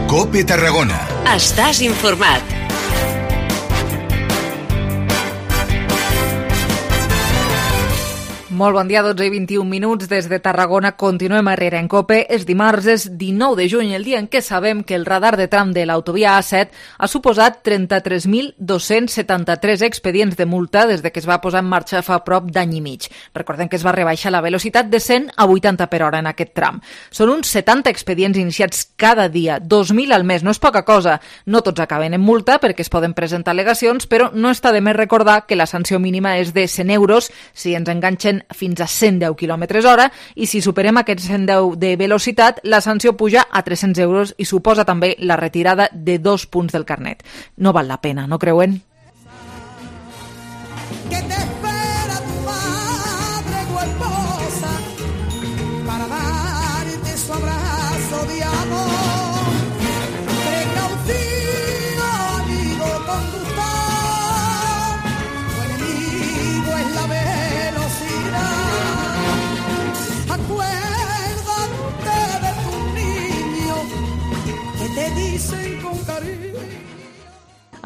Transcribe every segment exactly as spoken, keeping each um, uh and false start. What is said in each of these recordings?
COPE Tarragona. Estàs informat. Molt bon dia, dotze i vint-i-un minuts des de Tarragona. Continuem a Herrera en COPE. És dimarts, és dinou de juny, el dia en què sabem que el radar de tram de l'autovia A set ha suposat trenta-tres mil dos-cents setanta-tres expedients de multa des de que es va posar en marxa fa prop d'any i mig. Recordem que es va rebaixar la velocitat de cent a vuitanta per hora en aquest tram. Són uns setanta expedients iniciats cada dia, dos mil al mes. No és poca cosa. No tots acaben en multa perquè es poden presentar al·legacions, però no està de més recordar que la sanció mínima és de cent euros si ens enganxen fins a cent deu quilòmetres hora i si superem aquests cent deu de velocitat, la sanció puja a tres-cents euros i suposa també la retirada de dos punts del carnet. No val la pena, no creuen? Que te espera tu madre o esposa para darte su abrazo de amor. Precaución, amigo conductor, tu enemigo es la velocidad. Acuérdate de tu niño que te dicen con cariño.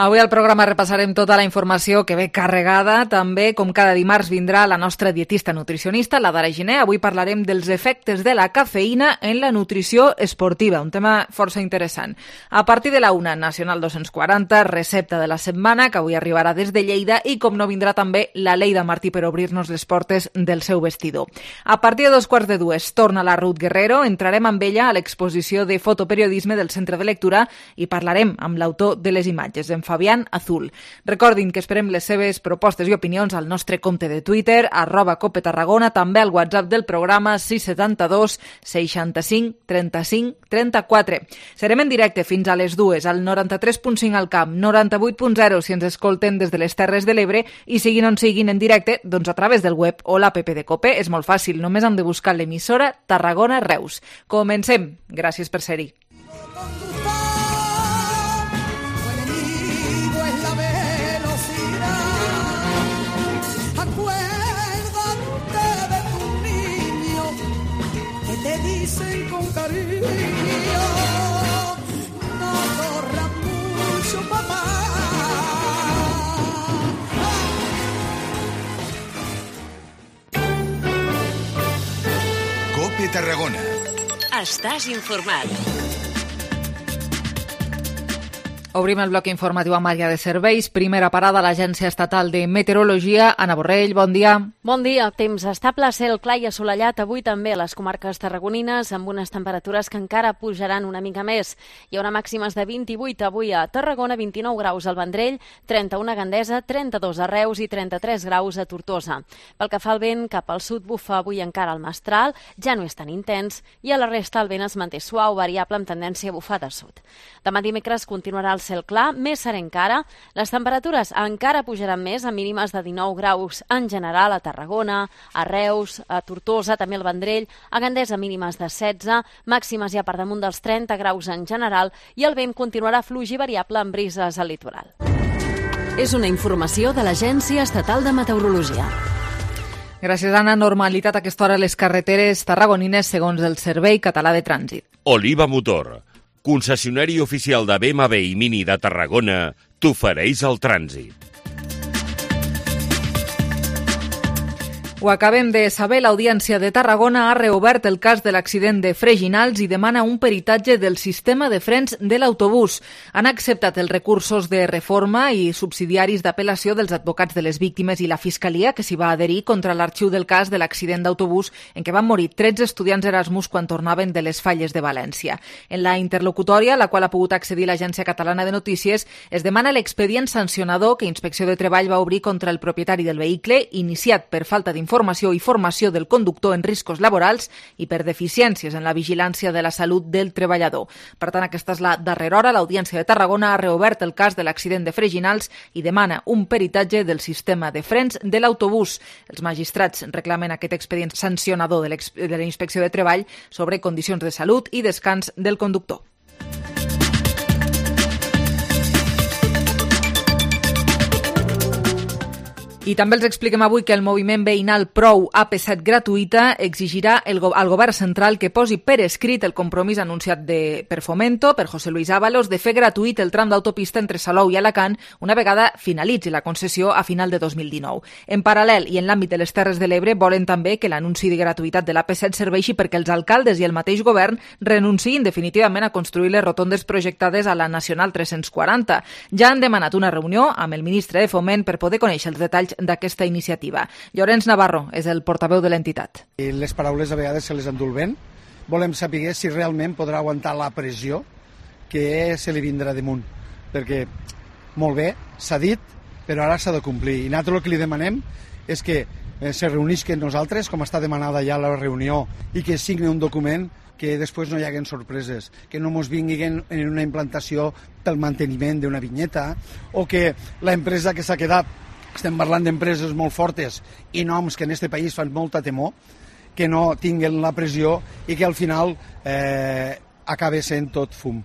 Avui al programa repassarem tota la informació que ve carregada. També, com cada dimarts, vindrà la nostra dietista nutricionista, la Dara Giner. Avui parlarem dels efectes de la cafeïna en la nutrició esportiva, un tema força interessant. A partir de la una, Nacional dos-cents quaranta, recepta de la setmana, que avui arribarà des de Lleida, i com no vindrà també la Leida Martí per obrir-nos les portes del seu vestidor. A partir de dos quarts de dues, torna la Ruth Guerrero, entrarem amb ella a l'exposició de fotoperiodisme del Centre de Lectura i parlarem amb l'autor de les imatges, en Fabián Azul. Recordin que esperem les seves propostes i opinions al nostre compte de Twitter, arroba Cope Tarragona, també al WhatsApp del programa sis setanta dos seixanta-cinc trenta-cinc trenta-quatre. Serem en directe fins a les dues, al noranta-tres punt cinc al Camp, noranta-vuit punt zero si ens escolten des de les Terres de l'Ebre i siguin on siguin en directe, doncs a través del web o l'app de Cope. És molt fàcil, només hem de buscar l'emissora Tarragona Reus. Comencem. Gràcies per ser-hi. Dicen con cariño, no corras mucho, papá. COPE Tarragona. Estàs informat. Obrim el bloc informatiu amb àrea de serveis. Primera parada a l'Agència Estatal de Meteorologia. Anna Borrell, bon dia. Bon dia. Temps estable, cel clar i assolellat avui també a les comarques tarragonines, amb unes temperatures que encara pujaran una mica més. Hi haurà màximes de vint-i-vuit avui a Tarragona, vint-i-nou graus al Vendrell, trenta-u a Gandesa, trenta-dos a Reus i trenta-tres graus a Tortosa. Pel que fa al vent, cap al sud bufa avui encara el mestral, ja no és tan intens, i a la resta el vent es manté suau, variable amb tendència a bufar de sud. Demà dimecres continuarà el cel clar, més serè encara. Les temperatures encara pujaran més, a mínimes de dinou graus en general a Tarragona, a Reus, a Tortosa, també al Vendrell, a Gandesa mínimes de setze, màximes ja per damunt dels trenta graus en general, i el vent continuarà fluix i variable amb brises al litoral. És una informació de l'Agència Estatal de Meteorologia. Gràcies, Anna. Normalitat a aquesta hora a les carreteres tarragonines segons el Servei Català de Trànsit. Oliva Motor, concessionari oficial de B M W i Mini de Tarragona, t'ofereix el trànsit. Ho acabem de saber, l'Audiència de Tarragona ha reobert el cas de l'accident de Freginals i demana un peritatge del sistema de frens de l'autobús. Han acceptat els recursos de reforma i subsidiaris d'apel·lació dels advocats de les víctimes i la Fiscalia, que s'hi va adherir contra l'arxiu del cas de l'accident d'autobús en què van morir tretze estudiants Erasmus quan tornaven de les falles de València. En la interlocutòria, a la qual ha pogut accedir l'Agència Catalana de Notícies, es demana l'expedient sancionador que Inspecció de Treball va obrir contra el propietari del vehicle, iniciat per falta d'informació informació i formació del conductor en riscos laborals i per deficiències en la vigilància de la salut del treballador. Per tant, aquesta és la darrera hora. L'Audiència de Tarragona ha reobert el cas de l'accident de Freginals i demana un peritatge del sistema de frens de l'autobús. Els magistrats reclamen aquest expedient sancionador de, de la Inspecció de Treball sobre condicions de salut i descans del conductor. I també els expliquem avui que el moviment veïnal Prou A P set gratuïta exigirà el go al govern central que posi per escrit el compromís anunciat de, per Fomento, per José Luis Ábalos, de fer gratuït el tram d'autopista entre Salou i Alacant una vegada finalitzi la concessió a final de dos mil dinou. En paral·lel i en l'àmbit de les Terres de l'Ebre volen també que l'anunci de gratuïtat de l'A P set serveixi perquè els alcaldes i el mateix govern renunciïn definitivament a construir les rotondes projectades a la Nacional tres-cents quaranta. Ja han demanat una reunió amb el ministre de Foment per poder conèixer els detalls d'aquesta iniciativa. Llorenç Navarro és el portaveu de l'entitat. Les paraules a vegades se les endú el vent. Volem saber si realment podrà aguantar la pressió que se li vindrà damunt. Perquè, molt bé, s'ha dit, però ara s'ha de complir. I nosaltres el que li demanem és que se reunisquen nosaltres, com està demanada ja la reunió, i que signe un document que després no hi haguen sorpreses, que no ens vinguin en una implantació pel manteniment d'una vinyeta, o que l'empresa que s'ha quedat, estem parlant d'empreses molt fortes i noms que en aquest país fan molta temor, que no tinguen la pressió i que al final eh, acabi sent tot fum.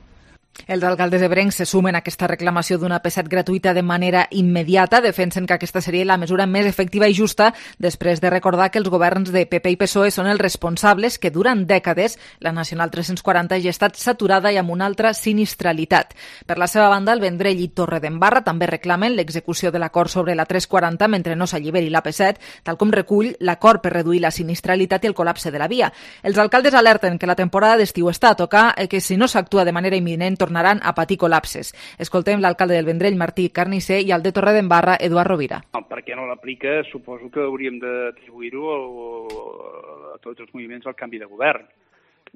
Els alcaldes ebrencs se sumen a aquesta reclamació d'una A P set gratuïta de manera immediata. Defensen que aquesta seria la mesura més efectiva i justa després de recordar que els governs de P P i P S O E són els responsables que durant dècades la Nacional tres-cents quaranta ja ha estat saturada i amb una altra sinistralitat. Per la seva banda, el Vendrell i Torredembarra també reclamen l'execució de l'acord sobre la tres quaranta mentre no s'alliberi l'A P set, tal com recull l'acord per reduir la sinistralitat i el col·lapse de la via. Els alcaldes alerten que la temporada d'estiu està a tocar i que si no s'actua de manera imminent tornaran a patir col·lapses. Escoltem l'alcalde del Vendrell, Martí Carnisser, i el de Torredembarra, Eduard Rovira. Per què no l'aplica? Suposo que hauríem d'atribuir-ho a tots els moviments del canvi de govern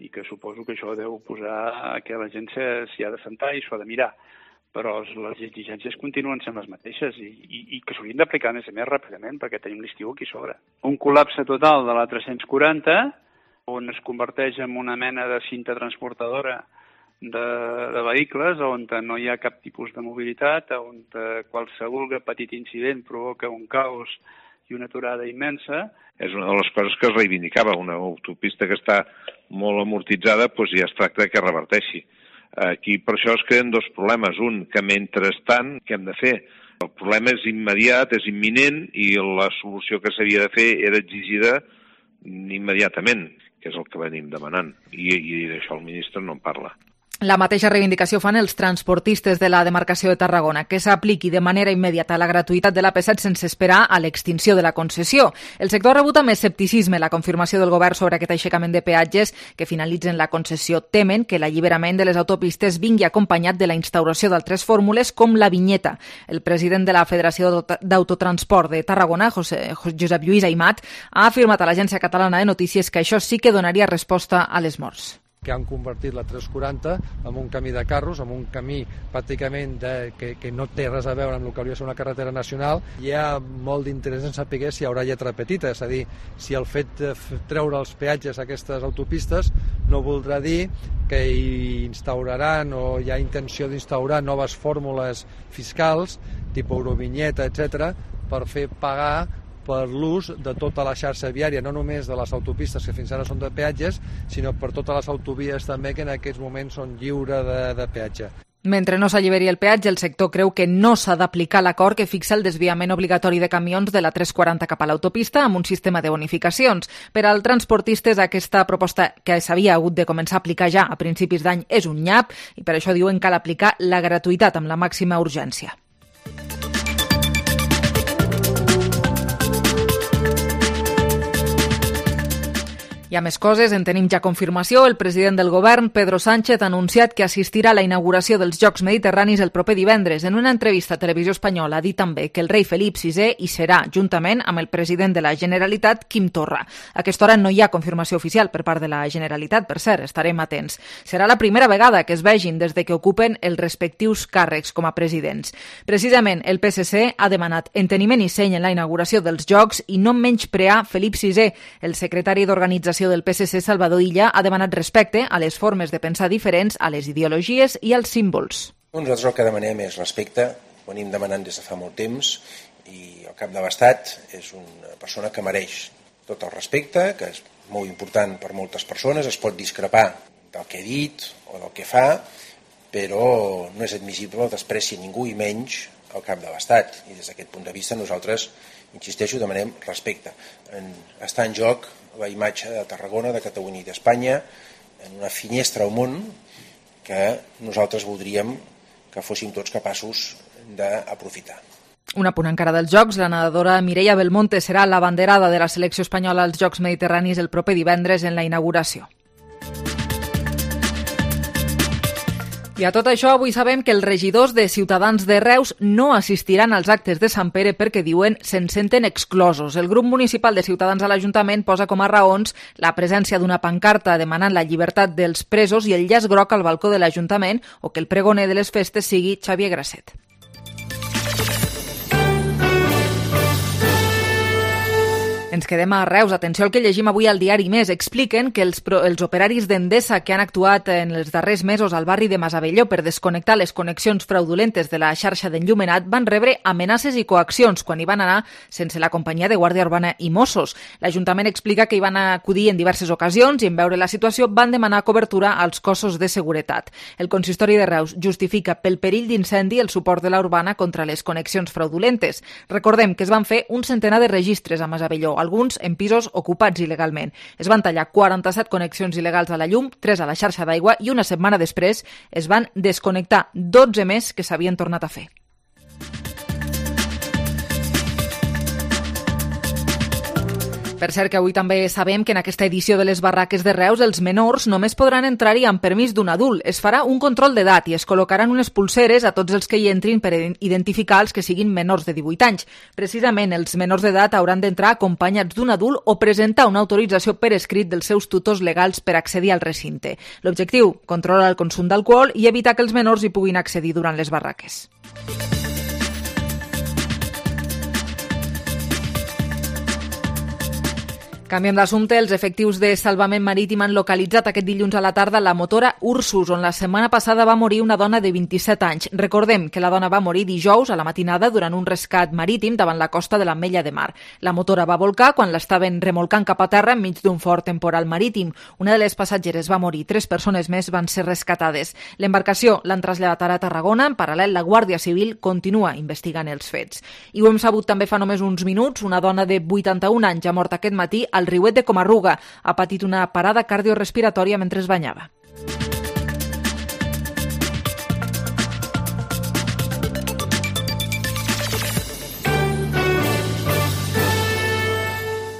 i que suposo que això deu posar que la gent s'hi ha de sentar i s'ho ha de mirar. Però les exigències continuen sent les mateixes i, i, i que s'haurien d'aplicar més a més ràpidament perquè tenim l'estiu aquí sobre. Un col·lapse total de la tres-cents quaranta on es converteix en una mena de cinta transportadora De, de vehicles on no hi ha cap tipus de mobilitat, on qualsevol petit incident provoca un caos i una aturada immensa. És una de les coses que es reivindicava, una autopista que està molt amortitzada, doncs ja es tracta que reverteixi. Aquí per això es creen dos problemes. Un, que mentrestant, què hem de fer? El problema és immediat, és imminent, i la solució que s'havia de fer era exigida immediatament, que és el que venim demanant. I, i d'això el ministre no en parla. La mateixa reivindicació fan els transportistes de la demarcació de Tarragona, que s'apliqui de manera immediata la gratuïtat de l'A P set sense esperar a l'extinció de la concessió. El sector ha rebut amb escepticisme la confirmació del govern sobre aquest aixecament de peatges que finalitzen la concessió. Temen que l'alliberament de les autopistes vingui acompanyat de la instauració d'altres fórmules com la vinyeta. El president de la Federació d'Autotransport de Tarragona, José, Josep Lluís Aimat, ha afirmat a l'Agència Catalana de Notícies que això sí que donaria resposta a les morts. Que han convertit la tres quaranta en un camí de carros, en un camí pràcticament de, que, que no té res a veure amb el que hauria de ser una carretera nacional. Hi ha molt d'interès en saber si hi haurà lletra petita, és a dir, si el fet de treure els peatges a aquestes autopistes no voldrà dir que hi instauraran o hi ha intenció d'instaurar noves fórmules fiscals, tipus eurovinyeta, etcètera, per fer pagar per l'ús de tota la xarxa viària, no només de les autopistes que fins ara són de peatges, sinó per totes les autovies també que en aquests moments són lliures de, de peatge. Mentre no s'alliberi el peatge, el sector creu que no s'ha d'aplicar l'acord que fixa el desviament obligatori de camions de la tres quaranta cap a l'autopista amb un sistema de bonificacions. Per als transportistes, aquesta proposta que s'havia hagut de començar a aplicar ja a principis d'any és un nyap i per això diuen que cal aplicar la gratuïtat amb la màxima urgència. Hi ha més coses, en tenim ja confirmació. El president del govern, Pedro Sánchez, ha anunciat que assistirà a la inauguració dels Jocs Mediterranis el proper divendres. En una entrevista a Televisió Espanyola ha dit també que el rei Felip sisè hi serà, juntament amb el president de la Generalitat, Quim Torra. A aquesta hora no hi ha confirmació oficial per part de la Generalitat, per cert, estarem atents. Serà la primera vegada que es vegin des de que ocupen els respectius càrrecs com a presidents. Precisament, el P S C ha demanat enteniment i seny en la inauguració dels Jocs i no menysprear Felip sisè. El secretari d'Organització del P S C, Salvador Illa, ha demanat respecte a les formes de pensar diferents, a les ideologies i als símbols. Nosaltres el que demanem és respecte, ho anem demanant des de fa molt temps, i el cap de l'Estat és una persona que mereix tot el respecte, que és molt important per moltes persones, es pot discrepar del que ha dit o del que fa, però no és admissible el despreci a ningú i menys al cap de l'Estat, i des d'aquest punt de vista nosaltres, insisteixo, demanem respecte. En, està en joc la imatge de Tarragona, de Catalunya i d'Espanya en una finestra al món que nosaltres voldríem que fóssim tots capaços d'aprofitar. Un apunt encara dels Jocs, la nedadora Mireia Belmonte serà l'abanderada de la selecció espanyola als Jocs Mediterranis el proper divendres en la inauguració. I a tot això, avui sabem que els regidors de Ciutadans de Reus no assistiran als actes de Sant Pere perquè, diuen, se'n senten exclosos. El grup municipal de Ciutadans a l'Ajuntament posa com a raons la presència d'una pancarta demanant la llibertat dels presos i el llaç groc al balcó de l'Ajuntament o que el pregoner de les festes sigui Xavier Grasset. Ens quedem a Reus. Atenció al que llegim avui al diari Més. Expliquen que els, pro, els operaris d'Endesa que han actuat en els darrers mesos al barri de Masavelló per desconnectar les connexions fraudulentes de la xarxa d'enllumenat van rebre amenaces i coaccions quan hi van anar sense la companyia de Guàrdia Urbana i Mossos. L'Ajuntament explica que hi van acudir en diverses ocasions i en veure la situació van demanar cobertura als cossos de seguretat. El consistori de Reus justifica pel perill d'incendi el suport de la Urbana contra les connexions fraudulentes. Recordem que es van fer un centenar de registres a Masavelló, alguns en pisos ocupats il·legalment. Es van tallar quaranta-set connexions il·legals a la llum, tres a la xarxa d'aigua i una setmana després es van desconnectar dotze més que s'havien tornat a fer. Per cert, que avui també sabem que en aquesta edició de les barraques de Reus els menors només podran entrar-hi amb permís d'un adult. Es farà un control d'edat i es col·locaran unes pulseres a tots els que hi entrin per identificar els que siguin menors de divuit anys. Precisament, els menors d'edat hauran d'entrar acompanyats d'un adult o presentar una autorització per escrit dels seus tutors legals per accedir al recinte. L'objectiu, controlar el consum d'alcohol i evitar que els menors hi puguin accedir durant les barraques. Canviem d'assumpte. Els efectius de salvament marítim han localitzat aquest dilluns a la tarda la motora Ursus, on la setmana passada va morir una dona de vint-i-set anys. Recordem que la dona va morir dijous a la matinada durant un rescat marítim davant la costa de l'Ametlla de Mar. La motora va volcar quan l'estaven remolcant cap a terra enmig d'un fort temporal marítim. Una de les passatgeres va morir, tres persones més van ser rescatades. L'embarcació l'han traslladat ara a Tarragona. En paral·lel, la Guàrdia Civil continua investigant els fets. I ho hem sabut també fa només uns minuts. Una dona de vuitanta-un anys ha mort aquest matí al riuet de Comarruga. Ha patit una parada cardiorespiratòria mentre es banyava.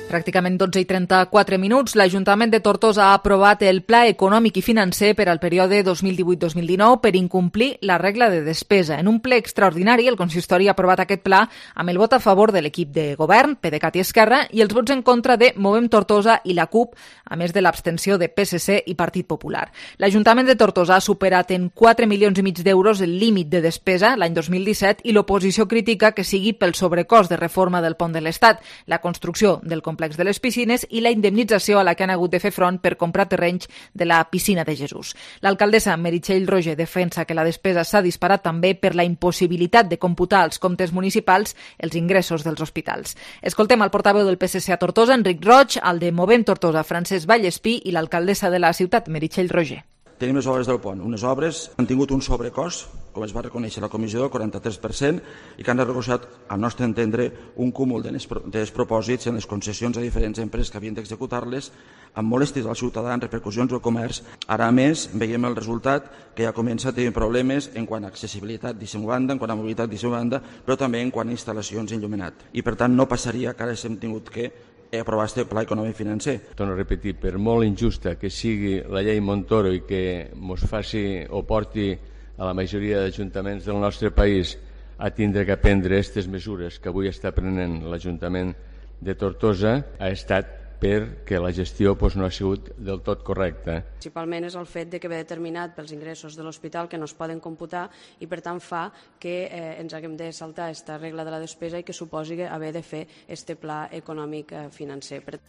Pràcticament dotze i trenta-quatre minuts, l'Ajuntament de Tortosa ha aprovat el Pla Econòmic i Financer per al període dos mil divuit dos mil dinou per incomplir la regla de despesa. En un ple extraordinari, el consistori ha aprovat aquest pla amb el vot a favor de l'equip de govern, PDeCAT i Esquerra, i els vots en contra de Movem Tortosa i la CUP, a més de l'abstenció de P S C i Partit Popular. L'Ajuntament de Tortosa ha superat en quatre milions i mig d'euros el límit de despesa l'any dos mil disset i l'oposició critica que sigui pel sobrecost de reforma del pont de l'Estat, la construcció del complex de les piscines i la indemnització a la que han hagut de fer front per comprar terrenys de la piscina de Jesús. L'alcaldessa Meritxell Roger defensa que la despesa s'ha disparat també per la impossibilitat de computar als comptes municipals els ingressos dels hospitals. Escoltem el portaveu del P S C a Tortosa, Enric Roig, el de Movem Tortosa, Francesc Vallespí, i l'alcaldessa de la ciutat, Meritxell Roger. Tenim les obres del pont. Unes obres han tingut un sobrecost, com es va reconèixer la comissió, del quaranta-tres per cent, i que han recolzat, al nostre entendre, un cúmul de despropòsits en les concessions a diferents empreses que havien d'executar-les, amb molèsties als ciutadans, repercussions al comerç. Ara, a més, veiem el resultat que ja comença a tenir problemes en quant a accessibilitat d'eixa banda, en quant a mobilitat d'eixa banda, però també en quant a instal·lacions enllumenat. I, per tant, no passaria que ara hem tingut que aprovar este pla econòmic financer. Torno a repetir, per molt injusta que sigui la llei Montoro i que ens faci o porti a la majoria d'ajuntaments del nostre país a tindre que prendre aquestes mesures que avui està prenent l'Ajuntament de Tortosa, ha estat perquè la gestió doncs, no ha sigut del tot correcta. Principalment és el fet de que ve determinat pels ingressos de l'hospital que no es poden computar i per tant fa que eh, ens haguem de saltar aquesta regla de la despesa i que suposi haver de fer este pla econòmic eh, financer. Per...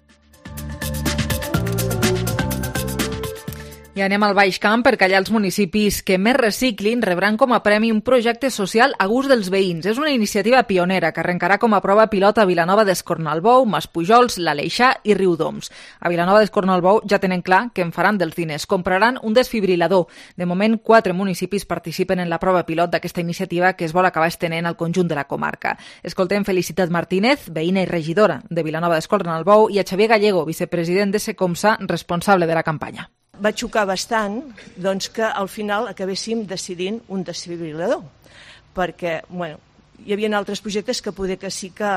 I anem al Baix Camp perquè allà els municipis que més reciclin rebran com a premi un projecte social a gust dels veïns. És una iniciativa pionera que arrencarà com a prova pilot a Vilanova d'Escornalbou, Maspujols, l'Aleixar i Riudoms. A Vilanova d'Escornalbou ja tenen clar que en faran dels diners. Compraran un desfibrilador. De moment, quatre municipis participen en la prova pilot d'aquesta iniciativa que es vol acabar estenent al conjunt de la comarca. Escoltem Felicitat Martínez, veïna i regidora de Vilanova d'Escornalbou, i a Xavier Gallego, vicepresident de Secomsa, responsable de la campanya. Va xocar bastant doncs, que al final acabéssim decidint un desfibrilador, perquè bueno, hi havia altres projectes que poder que sí que,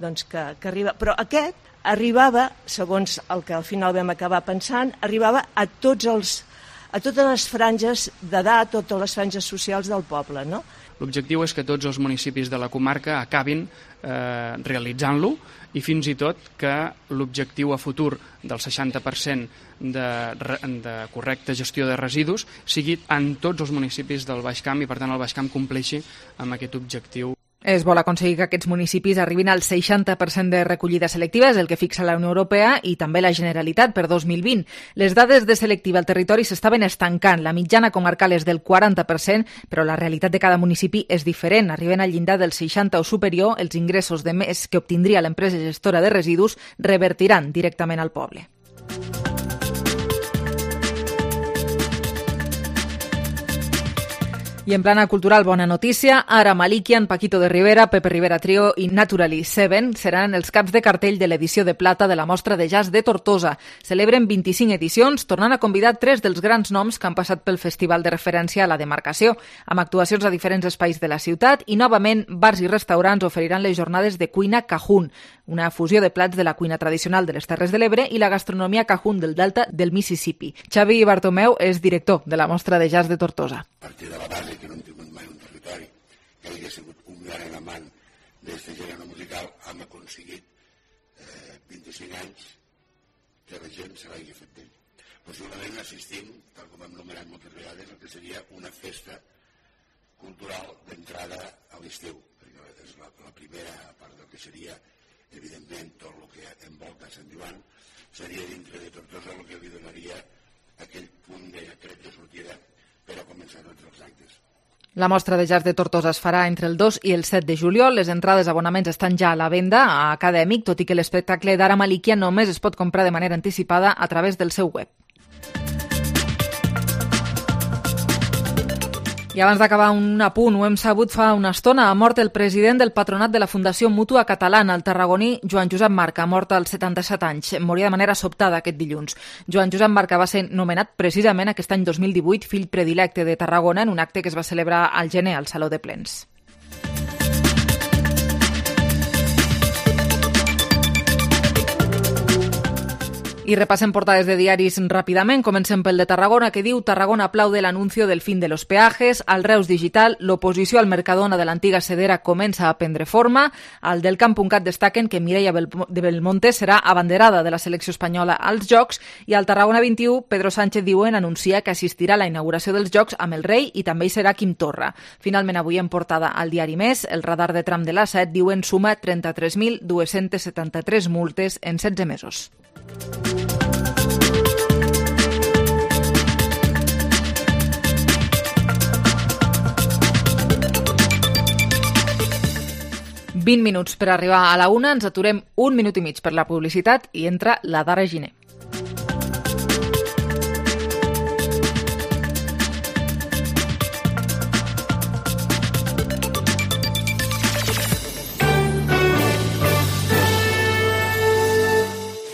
doncs, que, que arriba, però aquest arribava, segons el que al final vam acabar pensant, arribava a tots els, a totes les franges d'edat, totes les franges socials del poble, no? L'objectiu és que tots els municipis de la comarca acabin eh, realitzant-lo i fins i tot que l'objectiu a futur del seixanta per cent de, de correcta gestió de residus sigui en tots els municipis del Baix Camp i per tant el Baix Camp compleixi amb aquest objectiu. Es vol aconseguir que aquests municipis arribin al seixanta per cent de recollida selectiva, és el que fixa la Unió Europea i també la Generalitat per dos mil vint. Les dades de selectiva al territori s'estaven estancant. La mitjana comarcal és del quaranta per cent, però la realitat de cada municipi és diferent. Arriben al llindar del seixanta o superior, els ingressos de més que obtindria l'empresa gestora de residus revertiran directament al poble. I en plana cultural, bona notícia, ara Malikian, Paquito de Rivera, Pepe Rivera Trio i Naturally Seven seran els caps de cartell de l'edició de plata de la Mostra de Jazz de Tortosa. Celebren vint-i-cinc edicions, tornant a convidar tres dels grans noms que han passat pel festival de referència a la demarcació, amb actuacions a diferents espais de la ciutat i, novament, bars i restaurants oferiran les jornades de cuina Cajún, una fusió de plats de la cuina tradicional de les Terres de l'Ebre i la gastronomia Cajún del Delta del Mississippi. Xavi Bartomeu és director de la Mostra de Jazz de Tortosa. A partir de la base, que no hem tingut mai un territori que hagi sigut un gran amant d'aquest gènere musical, hem aconseguit eh, vint-i-cinc anys que la gent se l'hagi fet d'ell. Possiblement assistim, tal com hem nomenat moltes vegades, el que seria una festa cultural d'entrada a l'estiu, perquè és la, la primera part del que seria, evidentment, tot el que envolta Sant Joan, seria dintre de Tortosa el que li donaria aquell punt de tret de sortida per a començar tots els actes. La Mostra de Jazz de Tortosa es farà entre el dos i el set de juliol. Les entrades d'abonaments estan ja a la venda a Acadèmic, tot i que l'espectacle d'Ara Malikian només es pot comprar de manera anticipada a través del seu web. I abans d'acabar un apunt, ho hem sabut fa una estona, ha mort el president del patronat de la Fundació Mútua Catalana, el tarragoní Joan Josep Marca, mort als setanta-set anys. Moria de manera sobtada aquest dilluns. Joan Josep Marca va ser nomenat precisament aquest any dos mil divuit fill predilecte de Tarragona en un acte que es va celebrar al gener al Saló de Plens. I repassem portades de diaris ràpidament. Comencem pel de Tarragona, que diu: Tarragona aplaude l'anuncio del fin de los peajes. Al Reus Digital, l'oposició al Mercadona de l'antiga Sedera comença a prendre forma. Al del Camp.cat destaquen que Mireia de Belmonte serà abanderada de la selecció espanyola als Jocs. I al Tarragona vint-i-u, Pedro Sánchez diuen anuncia que assistirà a la inauguració dels Jocs amb el rei i també hi serà Quim Torra. Finalment, avui en portada al diari Més, el radar de tram de l'A set diuen suma trenta-tres mil dos-cents setanta-tres multes en setze mesos. vint minuts per arribar a la una, ens aturem un minut i mig per la publicitat i entra la Dara Giner.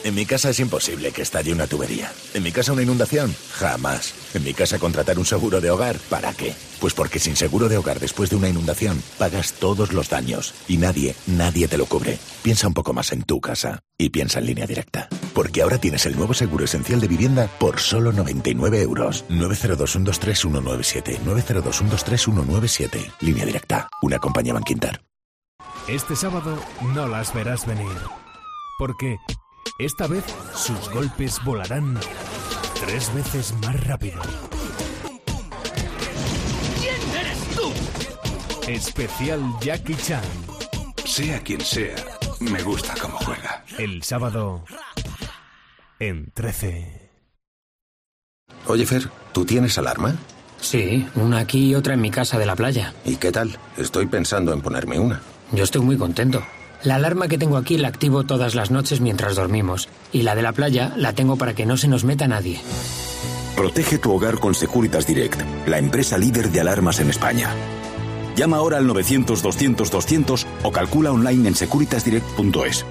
En mi casa es imposible que estalle una tubería. En mi casa una inundación, jamás. En mi casa contratar un seguro de hogar, ¿para qué? Pues porque sin seguro de hogar después de una inundación pagas todos los daños y nadie, nadie te lo cubre. Piensa un poco más en tu casa y piensa en Línea Directa. Porque ahora tienes el nuevo seguro esencial de vivienda por solo noventa y nueve euros. nueve cero dos uno dos tres uno nueve siete. nueve cero dos uno dos tres uno nueve siete. Línea Directa, una compañía Banquinter. Este sábado no las verás venir. Porque esta vez sus golpes volarán tres veces más rápido. ¿Quién eres tú? Especial Jackie Chan. Sea quien sea, me gusta cómo juega. El sábado en trece. Oye, Fer, ¿tú tienes alarma? Sí, una aquí y otra en mi casa de la playa. ¿Y qué tal? Estoy pensando en ponerme una. Yo estoy muy contento. La alarma que tengo aquí la activo todas las noches mientras dormimos. Y la de la playa la tengo para que no se nos meta nadie. Protege tu hogar con Securitas Direct, la empresa líder de alarmas en España. Llama ahora al novecientos doscientos doscientos o calcula online en securitas direct punto es.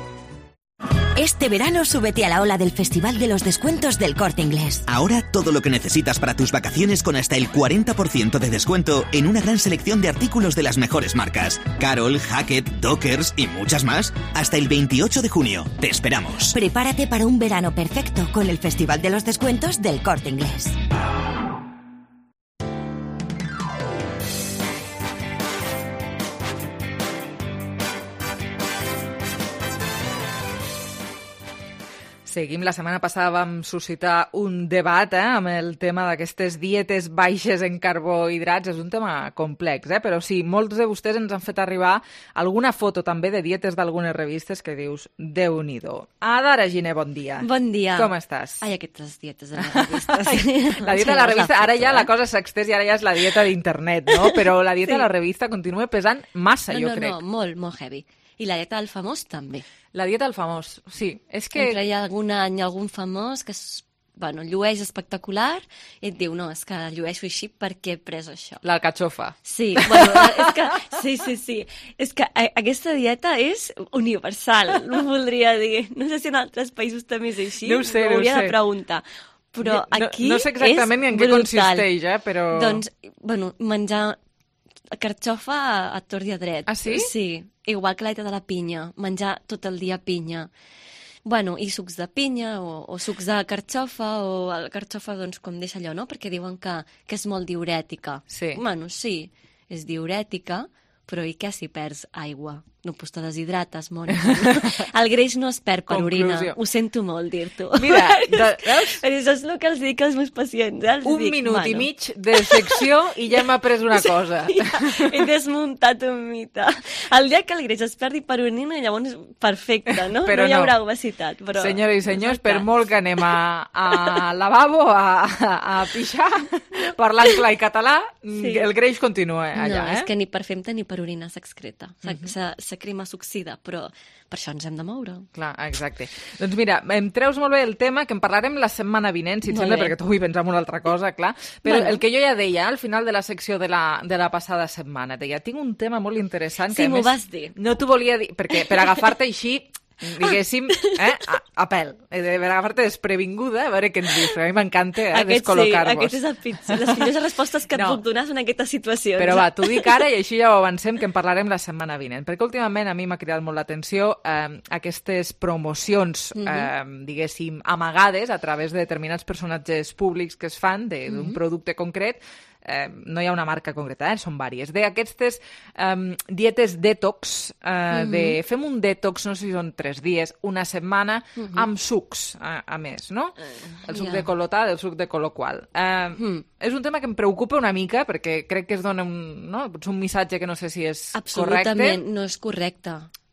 Este verano súbete a la ola del Festival de los Descuentos del Corte Inglés. Ahora todo lo que necesitas para tus vacaciones con hasta el cuarenta por ciento de descuento en una gran selección de artículos de las mejores marcas. Carol, Hackett, Dockers y muchas más. Hasta el veintiocho de junio. Te esperamos. Prepárate para un verano perfecto con el Festival de los Descuentos del Corte Inglés. Seguim. La setmana passada vam suscitar un debat eh, amb el tema d'aquestes dietes baixes en carbohidrats. És un tema complex, eh? Però sí, molts de vostès ens han fet arribar alguna foto també de dietes d'algunes revistes que dius, Déu-n'hi-do. Adara Giner, bon dia. Bon dia. Com estàs? Ai, aquestes dietes de les revistes. La dieta de la revista, ara ja la cosa s'ha extès i ara ja és la dieta d'internet, no? Però la dieta Sí. de la revista continua pesant massa, no, jo no, crec. No, molt, molt heavy. I la dieta del famós també. La dieta del famós, sí. És que... Sempre hi ha algun any algun famós que és, bueno, llueix espectacular i et diu, no, és que llueixo així perquè he pres això. L'alcachofa. Sí, bueno, és que, sí, sí, sí. És que a, aquesta dieta és universal, no voldria dir. No sé si en altres països també és així, No ho sé, no ho hauria sé. de preguntar. Però No- aquí no sé exactament és en què brutal. consisteix, eh, però- Doncs, bueno, menjar carxofa a, a tort i a dret. Ah, sí? Sí, igual que la dieta de la pinya, menjar tot el dia pinya. Bueno, i sucs de pinya o, o sucs de carxofa, o la carxofa, doncs, com deixa allò, no? Perquè diuen que, que és molt diurètica. Sí. Bueno, sí, és diurètica, però i què si perds aigua? No, doncs te deshidrates, Mònica. El greix no es perd per orina. Conclusió. Ho sento molt dir-t'ho. Mira, de, veus? Però això és el que els dic als meus pacients. Eh? Els Un dic, minut bueno. i mig de secció i ja hem après una cosa. Ja, he desmuntat un mite. El dia que el greix es perdi per orina, llavors perfecte, no? Però no hi no. haurà obesitat. Però... Senyores i senyors, per molt que anem a, a lavabo a, a, a pixar, parlant clar i català, Sí. el greix continua allà, no, eh? és que ni per femta ni per orina s'excreta. S'acrima, s'oxida, però per això ens hem de moure. Clar, exacte. Doncs mira, em treus molt bé el tema, que en parlarem la setmana vinent, si et Molt sembla, bé. perquè tu vull pensar en una altra cosa, clar. Però Bueno. el que jo ja deia al final de la secció de la, de la passada setmana, deia, tinc un tema molt interessant que Sí, a m'ho més vas dir. no t'ho volia dir, perquè per agafar-te així, diguéssim, eh, a, a pèl, eh, per agafar-te desprevinguda, a veure què ens dius, perquè a mi m'encanta eh, Aquest sí, descol·locar-vos. aquest és el pitjor. Les millors respostes que et No. puc donar són aquestes situacions. Però va, t'ho dic ara i així ja ho avancem, que en parlarem la setmana vinent. Perquè últimament a mi m'ha cridat molt l'atenció eh, aquestes promocions, Mhm. eh, diguéssim, amagades a través de determinats personatges públics que es fan de- d'un Mhm. producte concret. Eh, no hi ha una marca concreta, eh? Són vàries. D'aquestes eh, dietes detox, eh, Mhm. de fem un detox, no sé si són tres dies, una setmana, Mhm. amb sucs, a, a més, no? El suc ja. de col·lotar, el suc de col·loqual. Eh, És un tema que em preocupa una mica, perquè crec que es dona un, no? Potser un missatge que no sé si és Absolutament, correcte. no és correcte.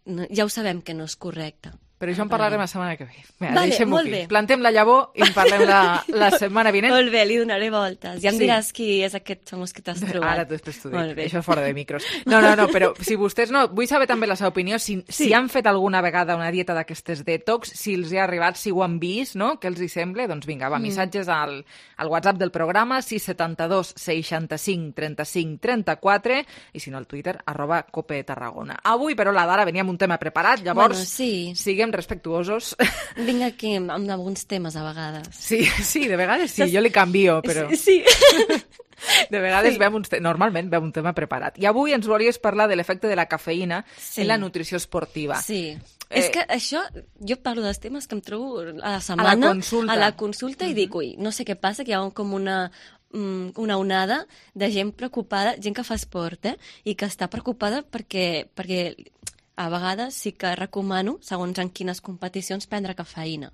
No, ja ho sabem que no és correcte. Però això en parlarem la setmana que ve. Mira, Vale, deixem-ho molt aquí. bé. Plantem la llavor i en parlem la, la setmana vinent. Molt bé, li donaré voltes. Ja em Sí. diràs qui és aquest famós que t'has trobat. Ara després t'ho dic, Molt bé. això fora de micros. No, no, no, però si vostès no... Vull saber també la seva opinió, si, Sí. si han fet alguna vegada una dieta d'aquestes detox, si els hi ha arribat, si ho han vist, no? Què els hi sembla? Doncs vinga, va, Mm. missatges al, al WhatsApp del programa, sis setanta dos seixanta-cinc trenta-cinc trenta-quatre, i si no al Twitter, arroba Cope Tarragona. Avui, però, la Dara venia amb un tema preparat, llavors Bueno, sí. siguem respectuosos. Vinc aquí amb, amb alguns temes a vegades. Sí, sí, de vegades sí, jo li canvio, però... Sí, sí. De vegades Sí. sí. un te... normalment veu un tema preparat. I avui ens volies parlar de l'efecte de la cafeïna Sí. en la nutrició esportiva. Sí. Eh, És que això, jo parlo dels temes que em trobo a la setmana, consulta. a la consulta i dic, ui, no sé què passa, que hi ha un, com una, mm, una onada de gent preocupada, gent que fa esport, eh? I que està preocupada perquè, perquè a vegades sí que recomano, segons en quines competicions, prendre cafeïna.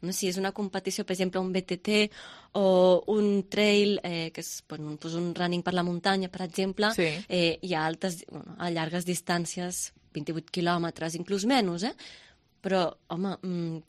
No? Si és una competició, per exemple, un B T T o un trail, eh, que és bueno, doncs un running per la muntanya, per exemple, Sí. eh, hi ha altes, bueno, a llargues distàncies, vint-i-vuit quilòmetres, inclús menys, eh? però, home,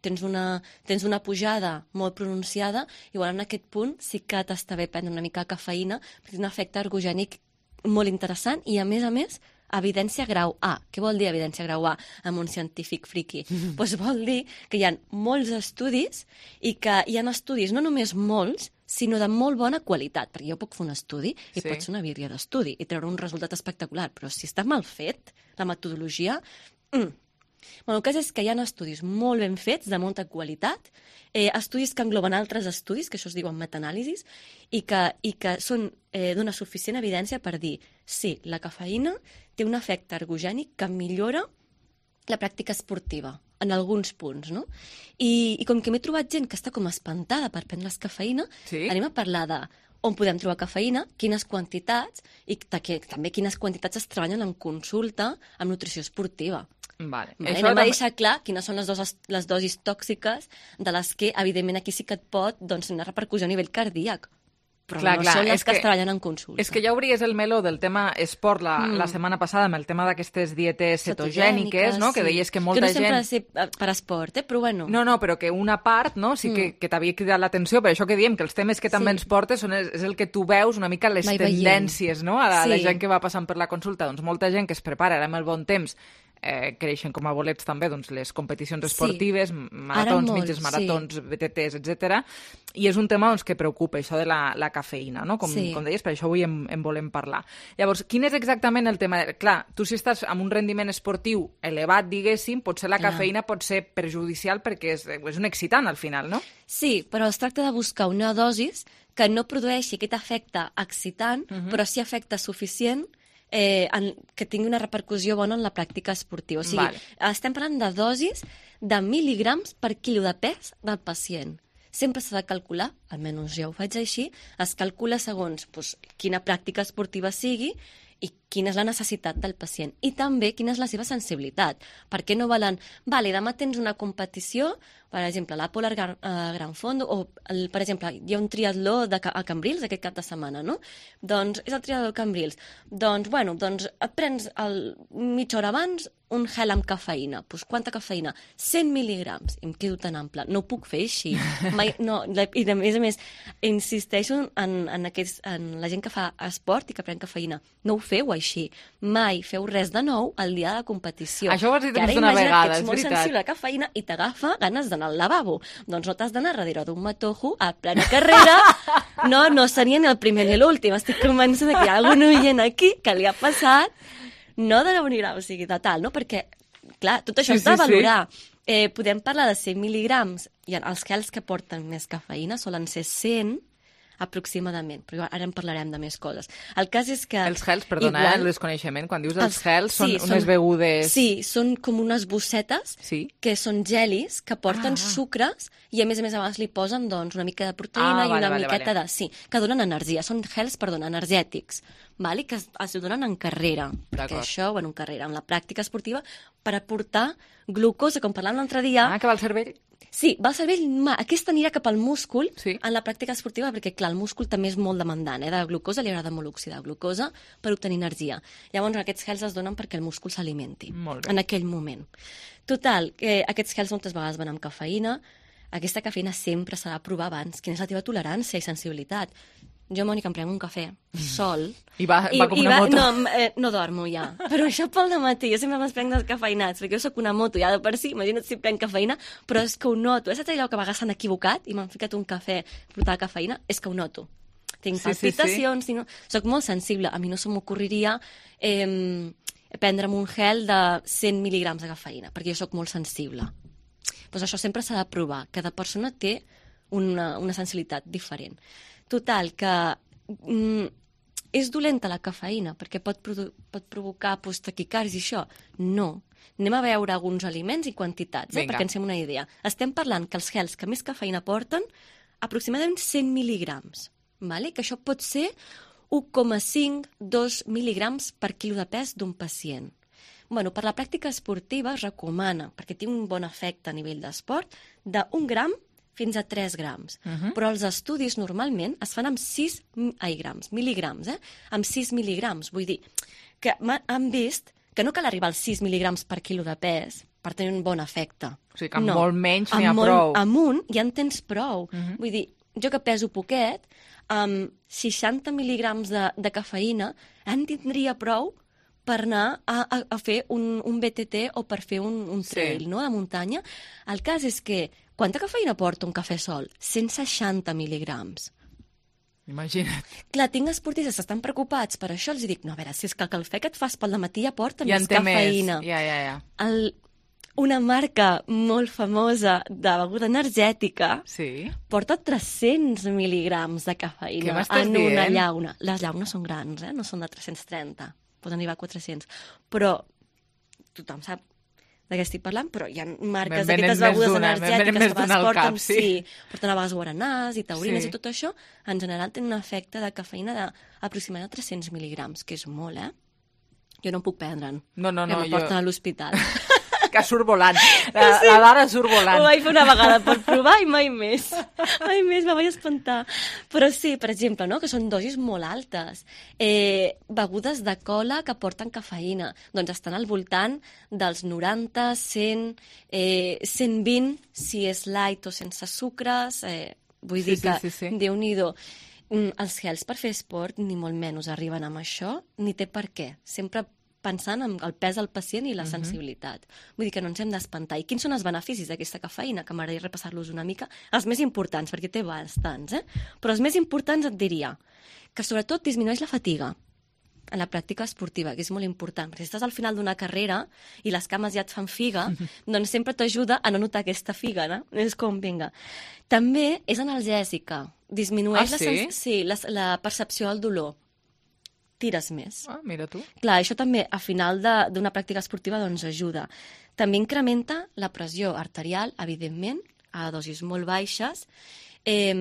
tens una, tens una pujada molt pronunciada, igual en aquest punt sí que t'està bé prendre una mica de cafeïna, perquè té un efecte ergogènic molt interessant i, a més a més, evidència grau A. Què vol dir evidència grau A amb un científic friqui? Doncs pues vol dir que hi ha molts estudis i que hi ha estudis, no només molts, sinó de molt bona qualitat, perquè jo puc fer un estudi i sí. pot ser una birria d'estudi i treure un resultat espectacular, però si està mal fet, la metodologia... Mm. Bueno, el cas és que hi ha estudis molt ben fets, de molta qualitat, eh, estudis que engloben altres estudis, que això es diuen metaanàlisis, i que, i que són eh, d'una suficient evidència per dir sí, la cafeïna té un efecte ergogènic que millora la pràctica esportiva, en alguns punts, no? I, i com que m'he trobat gent que està com espantada per prendre la cafeïna, sí? anem a parlar de on podem trobar cafeïna, quines quantitats, i que, també quines quantitats es treballen en consulta amb nutrició esportiva. Vale. Vale, anem a deixar clar quines són les, dos, les dosis tòxiques de les que, evidentment, aquí sí que et pot doncs, una repercussió a nivell cardíac. Però clar, no clar, són les que, que es treballen en consulta. És que ja obries el meló del tema esport la, mm. la setmana passada amb el tema d'aquestes dietes cetogèniques, no? Sí. Que deies que molta gent... Que no sempre gent... ha de ser per esport, eh? Però bueno... No, no, però que una part no? sí que, mm. que t'havia cridat l'atenció, per això que diem que els temes que també sí. ens portes són, és el que tu veus una mica les Vai tendències, no? A la, sí. la gent que va passant per la consulta. Doncs molta gent que es prepara ara amb el bon temps Eh, creixen com a bolets també doncs, les competicions esportives, sí. maratons, molt, mitges maratons, sí. B T Ts, etcètera. I és un tema doncs, que preocupa, això de la, la cafeïna, no? com, sí. com deies, per això avui en, en volem parlar. Llavors, quin és exactament el tema? Clar, tu si estàs amb un rendiment esportiu elevat, diguéssim, potser la Clar. cafeïna pot ser perjudicial perquè és, és un excitant al final, no? Sí, però es tracta de buscar una dosis que no produeixi aquest efecte excitant, uh-huh. però sí efecte suficient Eh, en, que tingui una repercussió bona en la pràctica esportiva. O sigui, vale. estem parlant de dosis de mil·ligrams per quilo de pes del pacient. Sempre s'ha de calcular, almenys jo ho faig així, es calcula segons doncs, quina pràctica esportiva sigui i quina és la necessitat del pacient. I també quina és la seva sensibilitat. Per què no valen... Vale, demà tens una competició, per exemple, la Polar Gran, uh, Gran Fondo, o, el, per exemple, hi ha un triatló de, a Cambrils aquest cap de setmana, no? Doncs és el triatló de Cambrils. Doncs, bueno, doncs et prens el, mitja hora abans un gel amb cafeïna. Doncs pues, quanta cafeïna? cent mil·ligrams. I em quedo tan ample. No ho puc fer així. Mai, no, I a més a més, insisteixo en, en, aquests, en la gent que fa esport i que pren cafeïna. No ho feu així. Mai feu res de nou el dia de la competició. Això ho has dit més d'una vegada, és veritat. Que ets molt sensible a la cafeïna i t'agafa ganes d'anar al lavabo. Doncs no t'has d'anar darrere d'un matojo a plena carrera. No, no seria ni el primer ni l'últim. Estic convençuda que hi ha algun oient aquí que li ha passat no de la unirà, o sigui, de tal, no? Perquè, clar, tot això sí, s'ha de sí, valorar. Sí. Eh, podem parlar de cent mil·ligrams i els gels que porten més cafeïna solen ser cent aproximadament, però ara en parlarem de més coses. El cas és que... Els gels, perdona, igual, el desconeixement, quan dius els, els gels són sí, unes són, begudes... Sí, són com unes bossetes sí? que són gelis que porten ah. sucres i a més a més abans li posen doncs, una mica de proteïna ah, i vale, una vale, miqueta vale. de... Sí, que donen energia. Són gels, perdona, energètics, vale? Que es, es donen en carrera. Perquè això, bueno, en carrera, en la pràctica esportiva, per aportar glucosa, com parlàvem l'altre dia... Ah, que va al cervell? Sí, va al cervell, aquesta anirà cap al múscul sí. en la pràctica esportiva, perquè, clar, el múscul també és molt demandant, eh? De glucosa li agrada molt oxidar glucosa per obtenir energia. Llavors, aquests gels es donen perquè el múscul s'alimenti en aquell moment. Total, eh, aquests gels moltes vegades van amb cafeïna. Aquesta cafeïna sempre s'ha de provar abans. Quina és la teva tolerància i sensibilitat? Jo, Mònica, em prenc un cafè sol. I va, va com i una va, moto. No, eh, no dormo ja. Però això pel dematí. Jo sempre me'ls prenc descafeïnats, perquè jo sóc una moto ja de per si. Imagina't si prenc cafeïna, però és que ho noto. És allò que a vegades s'han equivocat i m'han ficat un cafè portat cafeïna? És que ho noto. Tinc sí, palpitacions, sí, sí. No... soc molt sensible. A mi no se m'ocorriria eh, prendre'm un gel de cent mil·ligrams de cafeïna, perquè jo sóc molt sensible. Pues això sempre s'ha de provar. Cada persona té una, una sensibilitat diferent. Total, que mm, és dolenta la cafeïna perquè pot, produ- pot provocar pues, taquicàrdia i això. No. Anem a veure alguns aliments i quantitats, eh, perquè ens fem una idea. Estem parlant que els gels que més cafeïna porten aproximadament cent mil·ligrams, vale? Que això pot ser un coma cinc a dos mil·ligrams per quilo de pes d'un pacient. Bueno, per la pràctica esportiva es recomana, perquè té un bon efecte a nivell d'esport, d'un gram fins a tres grams. Uh-huh. Però els estudis normalment es fan amb sis ai, grams, mil·ligrams, eh? Amb sis mil·ligrams. Vull dir que han vist que no cal arribar als sis mil·ligrams per quilo de pes, per tenir un bon efecte. O sigui que amb no. molt menys n'hi ha molt, prou. Amb un ja en tens prou. Uh-huh. Vull dir, jo que peso poquet, amb seixanta mil·ligrams de, de cafeïna en tindria prou per anar a, a, a fer un, un B T T o per fer un, un trail, sí. no?, de muntanya. El cas és que, quanta cafeïna porta un cafè sol? cent seixanta mil·ligrams. Imagina't. Clar, tinc esportistes que estan preocupats per això, els dic, no, a veure, si és que el cafè que et fas pel dematí ja porta ja més cafeïna. Més. Ja, ja, ja. El, una marca molt famosa de beguda energètica sí. porta tres-cents mil·ligrams de cafeïna en dient? una llauna. Les llaunes són grans, eh? No són de tres-cents trenta, poden arribar a quatre-cents. Però tothom sap de què estic parlant, però hi ha marques d'aquestes begudes energètiques que es porten, sí. sí, porten a vegades guaranàs i taurines sí. i tot això, en general tenen un efecte de cafeïna d'aproximadament tres-cents mil·ligrams, que és molt, eh? Jo no em puc prendre'n. No, no, no. Que em porten jo... a l'hospital. Que surt volant. La, sí. la Dara surt volant. Ho vaig fer una vegada per provar i mai més. Mai més, me vaig espantar. Però sí, per exemple, no? Que són dosis molt altes. Eh, begudes de cola que porten cafeïna. Doncs estan al voltant dels noranta, cent, eh, cent vint, si és light o sense sucres. Eh, vull sí, dir que, sí, sí, sí. Déu-n'hi-do. Els gels per fer esport ni molt menys arriben amb això, ni té per què. Sempre pensant en el pes del pacient i la sensibilitat. Uh-huh. Vull dir que no ens hem d'espantar. I quins són els beneficis d'aquesta cafeïna? Que m'agradaria repassar-los una mica. Els més importants, perquè té bastants, eh? Però els més importants et diria que sobretot disminueix la fatiga en la pràctica esportiva, que és molt important. Perquè si estàs al final d'una carrera i les cames ja et fan figa, doncs sempre t'ajuda a no notar aquesta figa, no? És com, vinga. També és analgèsica. Disminueix ah, sí? la, sí, la, la percepció del dolor. Tires més. Ah, mira tu. Clar, això també a final d'una pràctica esportiva doncs ajuda. També incrementa la pressió arterial, evidentment, a dosis molt baixes. Eh,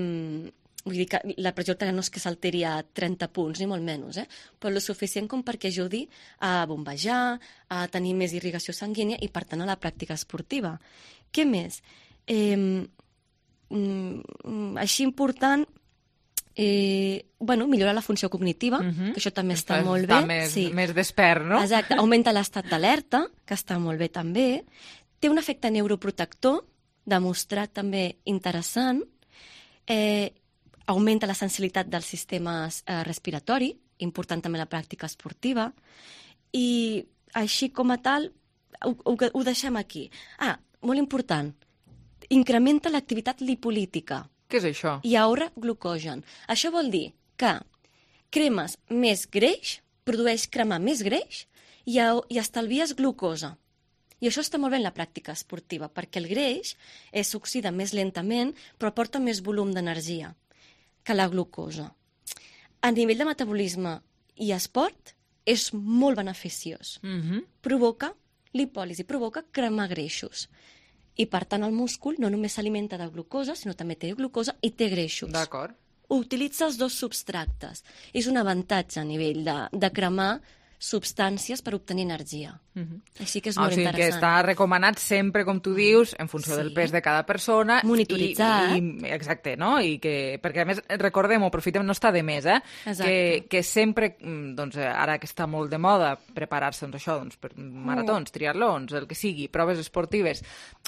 vull dir que la pressió arterial no és que s'alteri a trenta punts, ni molt menys, eh? Però el suficient com perquè ajudi a bombejar, a tenir més irrigació sanguínia i, per tant, a la pràctica esportiva. Què més? Eh, mm, així important... Eh, bueno, millora la funció cognitiva, uh-huh. que això també està, està molt bé. Està més, sí. més despert, no? Exacte, augmenta l'estat d'alerta, que està molt bé també. Té un efecte neuroprotector, demostrat també interessant. Eh, augmenta la sensibilitat del sistema eh, respiratori, important també la pràctica esportiva. I així com a tal, ho, ho, ho deixem aquí. Ah, molt important, incrementa l'activitat lipolítica. Què és això? I ahorra glucogen. Això vol dir que cremes més greix, produeix cremar més greix i, a, i estalvies glucosa. I això està molt bé en la pràctica esportiva, perquè el greix s'oxida més lentament, però porta més volum d'energia que la glucosa. A nivell de metabolisme i esport, és molt beneficiós. Mm-hmm. Provoca lipòlisi, provoca cremar greixos. I, per tant, el múscul no només s'alimenta de glucosa, sinó també té glucosa i té greixos. D'acord. Utilitza els dos substractes. És un avantatge a nivell de, de cremar substàncies per obtenir energia. Uh-huh. Així que és ah, molt o sigui interessant. Que està recomanat sempre, com tu dius, en funció sí. del pes de cada persona. Monitoritzar. I, i, exacte, no? I que, perquè, a més, recordem-ho, aprofitem, no està de més, eh? Que, que sempre, doncs, ara que està molt de moda, preparar-se, doncs, això, doncs, per maratons, triatlons, el que sigui, proves esportives.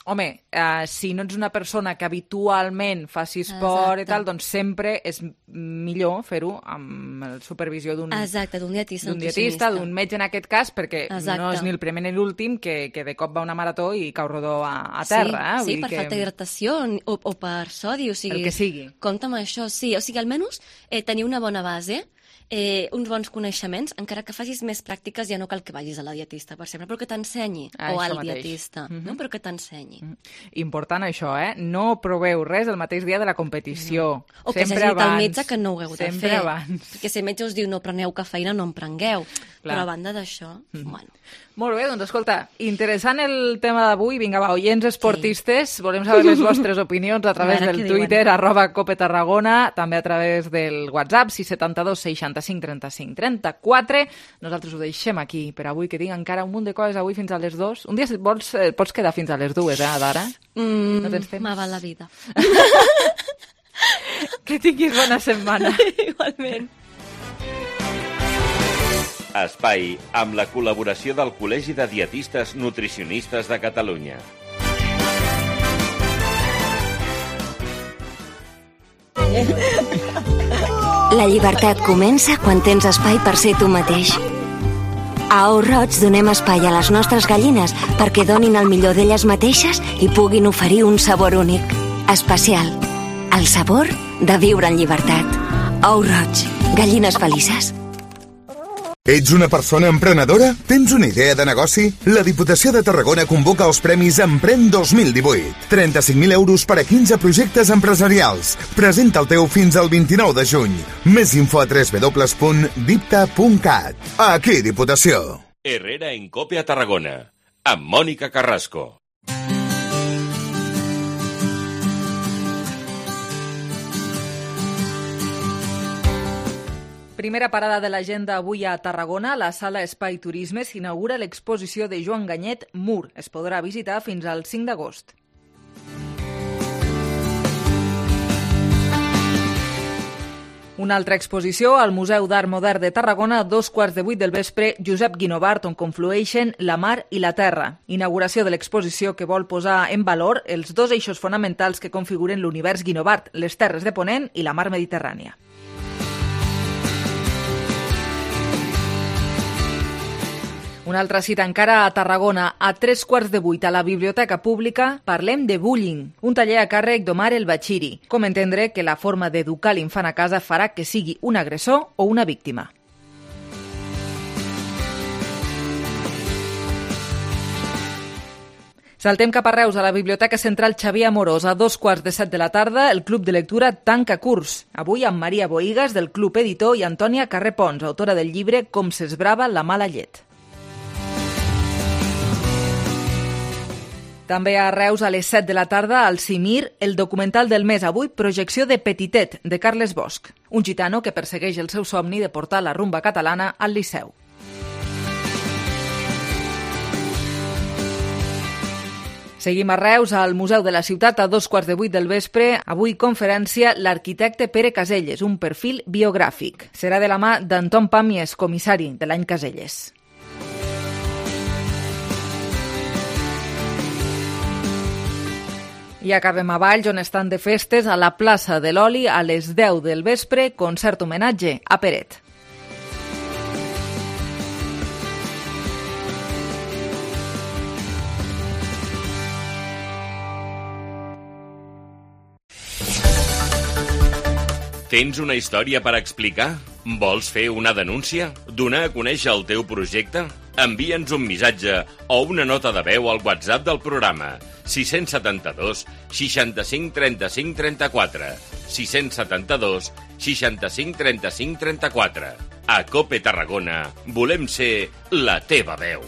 Home, eh, si no ets una persona que habitualment faci esport Exacte. I tal, doncs sempre és millor fer-ho amb la supervisió d'un Exacte, d'un dietista, d'un dietista, d'un metge en aquest cas, perquè Exacte. No és ni el primer ni l'últim que, que de cop va a una marató i cau rodó a, a terra. Sí, eh? sí Vull per que... falta d'hidratació o, o per sodi, o sigui... El que sigui. Compte amb això, sí. O sigui, almenys eh, tenir una bona base, eh, uns bons coneixements, encara que facis més pràctiques ja no cal que vagis a la dietista, per sempre, però que t'ensenyi, ah, o al mateix. dietista, mm-hmm. no? Però que t'ensenyi. Mm-hmm. Important això, eh? No proveu res el mateix dia de la competició. No. O que sempre s'hagi dit abans. al metge que no ho heu de sempre fer. Abans. Perquè si el metge us diu no preneu cafeïna, no en prengueu. Clar. Però a banda d'això, mm-hmm. bueno... Molt bé, doncs escolta, interessant el tema d'avui. Vinga, va, oients esportistes, sí. volem saber les vostres opinions a través a del Twitter, diuen. arroba Cope Tarragona, també a través del WhatsApp, sis set dos seixanta-cinc trenta-cinc trenta-quatre. Nosaltres ho deixem aquí per avui, que tinc encara un munt de coses avui fins a les dues. Un dia, si vols, eh, pots quedar fins a les dues, eh, Dara? Mm, no tens temps? Me va la vida. Que tinguis bona setmana. Igualment. Espai amb la col·laboració del Col·legi de Dietistes Nutricionistes de Catalunya. La llibertat comença quan tens espai per ser tu mateix. A Ou Roig donem espai a les nostres gallines perquè donin el millor d'elles mateixes i puguin oferir un sabor únic, especial. El sabor de viure en llibertat. Ou Roig, gallines felices. Ets una persona emprenedora? Tens una idea de negoci? La Diputació de Tarragona convoca els Premis Empren dos mil divuit. trenta-cinc mil euros per a quinze projectes empresarials. Presenta el teu fins al vint-i-nou de juny. Més info a w w w punt dipta punt cat. Aquí, Diputació. Herrera en Cope a Tarragona, amb Mònica Carrasco. Primera parada de l'agenda avui a Tarragona. A la sala Espai Turisme s'inaugura l'exposició de Joan Ganyet Mur. Es podrà visitar fins al cinc d'agost. Una altra exposició al Museu d'Art Modern de Tarragona a dos quarts de vuit del vespre, Josep Guinovart, on conflueixen la mar i la terra. Inauguració de l'exposició que vol posar en valor els dos eixos fonamentals que configuren l'univers Guinovart, les terres de Ponent i la mar Mediterrània. Una altra cita encara a Tarragona. A tres quarts de vuit a la Biblioteca Pública parlem de bullying, un taller a càrrec d'Omar El Bachiri. Com entendre que la forma d'educar l'infant a casa farà que sigui un agressor o una víctima. Saltem cap a Reus, a la Biblioteca Central Xavier Amorós. A dos quarts de set de la tarda, el Club de Lectura tanca curs. Avui amb Maria Boigas, del Club Editor, i Antònia Carrer Pons, autora del llibre Com s'esbrava la mala llet. També a Reus, a les set de la tarda, al Cimir, el documental del mes. Avui, projecció de Petitet, de Carles Bosch, un gitano que persegueix el seu somni de portar la rumba catalana al Liceu. Seguim a Reus, al Museu de la Ciutat, a dos quarts de vuit del vespre. Avui conferència l'arquitecte Pere Caselles, un perfil biogràfic. Serà de la mà d'Anton Pàmies, comissari de l'any Caselles. I acabem a Valls, on estan de festes, a la plaça de l'Oli, a les deu del vespre, concert homenatge a Peret. Tens una història per explicar? Vols fer una denúncia? Donar a conèixer el teu projecte? Envia'ns un missatge o una nota de veu al WhatsApp del programa sis set dos, seixanta-cinc, trenta-cinc, trenta-quatre. sis set dos, seixanta-cinc, trenta-cinc, trenta-quatre. A Cope Tarragona volem ser la teva veu.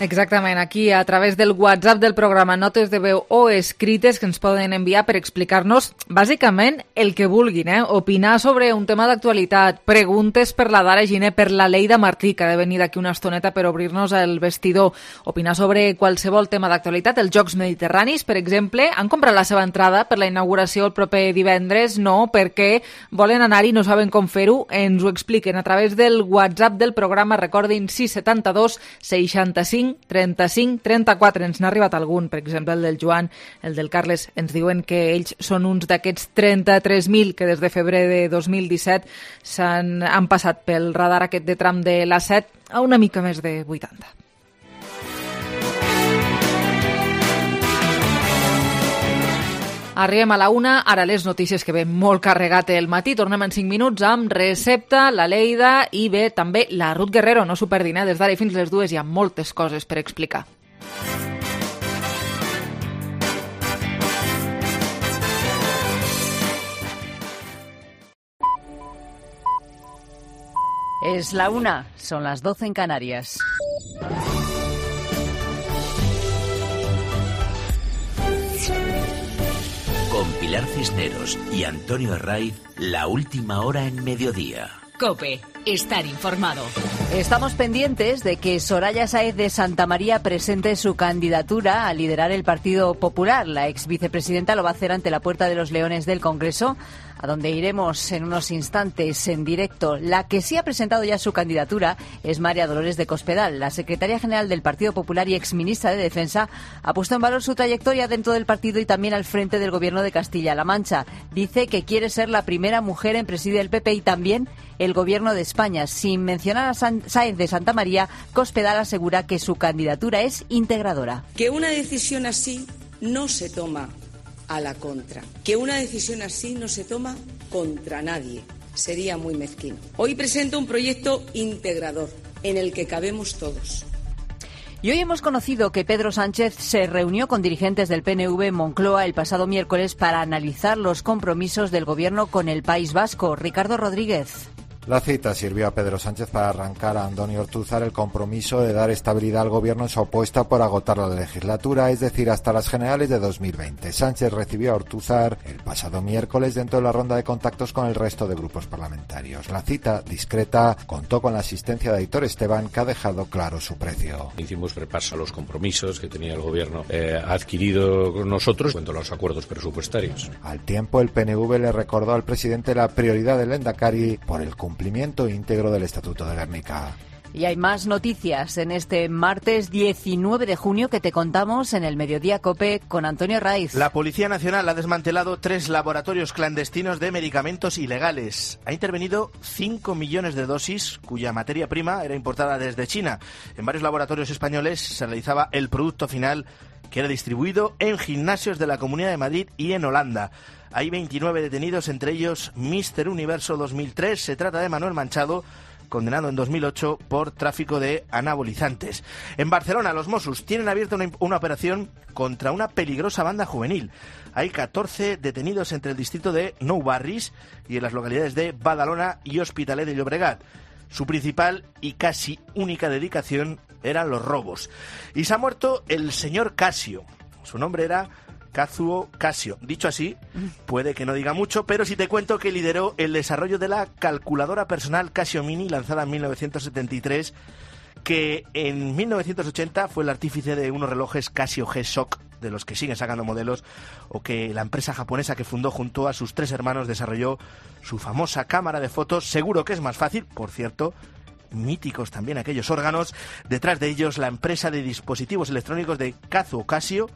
Exactament, aquí a través del WhatsApp del programa, notes de veu o escrites que ens poden enviar per explicar-nos bàsicament el que vulguin, eh? Opinar sobre un tema d'actualitat, preguntes per la Dara Giner, per la Leida Martí, que ha de venir d'aquí una estoneta per obrir-nos el vestidor, opinar sobre qualsevol tema d'actualitat, els Jocs Mediterranis, per exemple. Han comprat la seva entrada per la inauguració el proper divendres? No, perquè volen anar i no saben com fer-ho. Ens ho expliquen a través del WhatsApp del programa, recordin, sis set dos, seixanta-cinc, trenta-cinc, trenta-quatre. Ens n'ha arribat algun, per exemple el del Joan, el del Carles. Ens diuen que ells són uns d'aquests trenta-tres mil que des de febrer de dos mil disset s'han han passat pel radar aquest de tram de l'A set a una mica més de vuitanta. Arribem a la una, ara les notícies que ve molt carregat el matí. Tornem en cinc minuts amb Recepta, la Leida i bé, també la Ruth Guerrero. No s'ho perdin, eh? Des d'ara i fins les dues hi ha moltes coses per explicar. Es la una, son las doce en Canarias. Con Pilar Cisneros y Antonio Herraiz, la última hora en mediodía. COPE, estar informado. Estamos pendientes de que Soraya Sáez de Santamaría presente su candidatura a liderar el Partido Popular. La ex vicepresidenta lo va a hacer ante la Puerta de los Leones del Congreso, a donde iremos en unos instantes en directo. La que sí ha presentado ya su candidatura es María Dolores de Cospedal. La secretaria general del Partido Popular y exministra de Defensa ha puesto en valor su trayectoria dentro del partido y también al frente del gobierno de Castilla-La Mancha. Dice que quiere ser la primera mujer en presidir el P P y también el gobierno de España. Sin mencionar a Sáez de Santamaría, Cospedal asegura que su candidatura es integradora. Que una decisión así no se toma a la contra. Que una decisión así no se toma contra nadie. Sería muy mezquino. Hoy presento un proyecto integrador en el que cabemos todos. Y hoy hemos conocido que Pedro Sánchez se reunió con dirigentes del P N V en Moncloa el pasado miércoles para analizar los compromisos del Gobierno con el País Vasco. Ricardo Rodríguez. La cita sirvió a Pedro Sánchez para arrancar a Andoni Ortúzar el compromiso de dar estabilidad al Gobierno en su apuesta por agotar la legislatura, es decir, hasta las generales de dos mil veinte. Sánchez recibió a Ortúzar el pasado miércoles dentro de la ronda de contactos con el resto de grupos parlamentarios. La cita, discreta, contó con la asistencia de Aitor Esteban, que ha dejado claro su precio. Hicimos repaso a los compromisos que tenía el Gobierno eh, adquirido con nosotros en cuanto a los acuerdos presupuestarios. Al tiempo, el P N V le recordó al presidente la prioridad del Lehendakari por el cumplimiento cumplimiento íntegro del Estatuto de Gernika. Y hay más noticias en este martes diecinueve de junio que te contamos en el Mediodía COPE con Antonio Raiz. La Policía Nacional ha desmantelado tres laboratorios clandestinos de medicamentos ilegales. Ha intervenido cinco millones de dosis cuya materia prima era importada desde China. En varios laboratorios españoles se realizaba el producto final que era distribuido en gimnasios de la Comunidad de Madrid y en Holanda. Hay veintinueve detenidos, entre ellos míster Universo dos mil tres. Se trata de Manuel Manchado, condenado en dos mil ocho por tráfico de anabolizantes. En Barcelona, los Mossos tienen abierta una, una operación contra una peligrosa banda juvenil. Hay catorce detenidos entre el distrito de Nou Barris y en las localidades de Badalona y Hospitalet de Llobregat. Su principal y casi única dedicación eran los robos. Y se ha muerto el señor Casio. Su nombre era Kazuo Casio. Dicho así, puede que no diga mucho, pero si te cuento que lideró el desarrollo de la calculadora personal Casio Mini, lanzada en mil novecientos setenta y tres, que en mil novecientos ochenta fue el artífice de unos relojes Casio G-Shock, de los que siguen sacando modelos, o que la empresa japonesa que fundó junto a sus tres hermanos desarrolló su famosa cámara de fotos. Seguro que es más fácil, por cierto, míticos también aquellos órganos. Detrás de ellos, la empresa de dispositivos electrónicos de Kazuo Casio,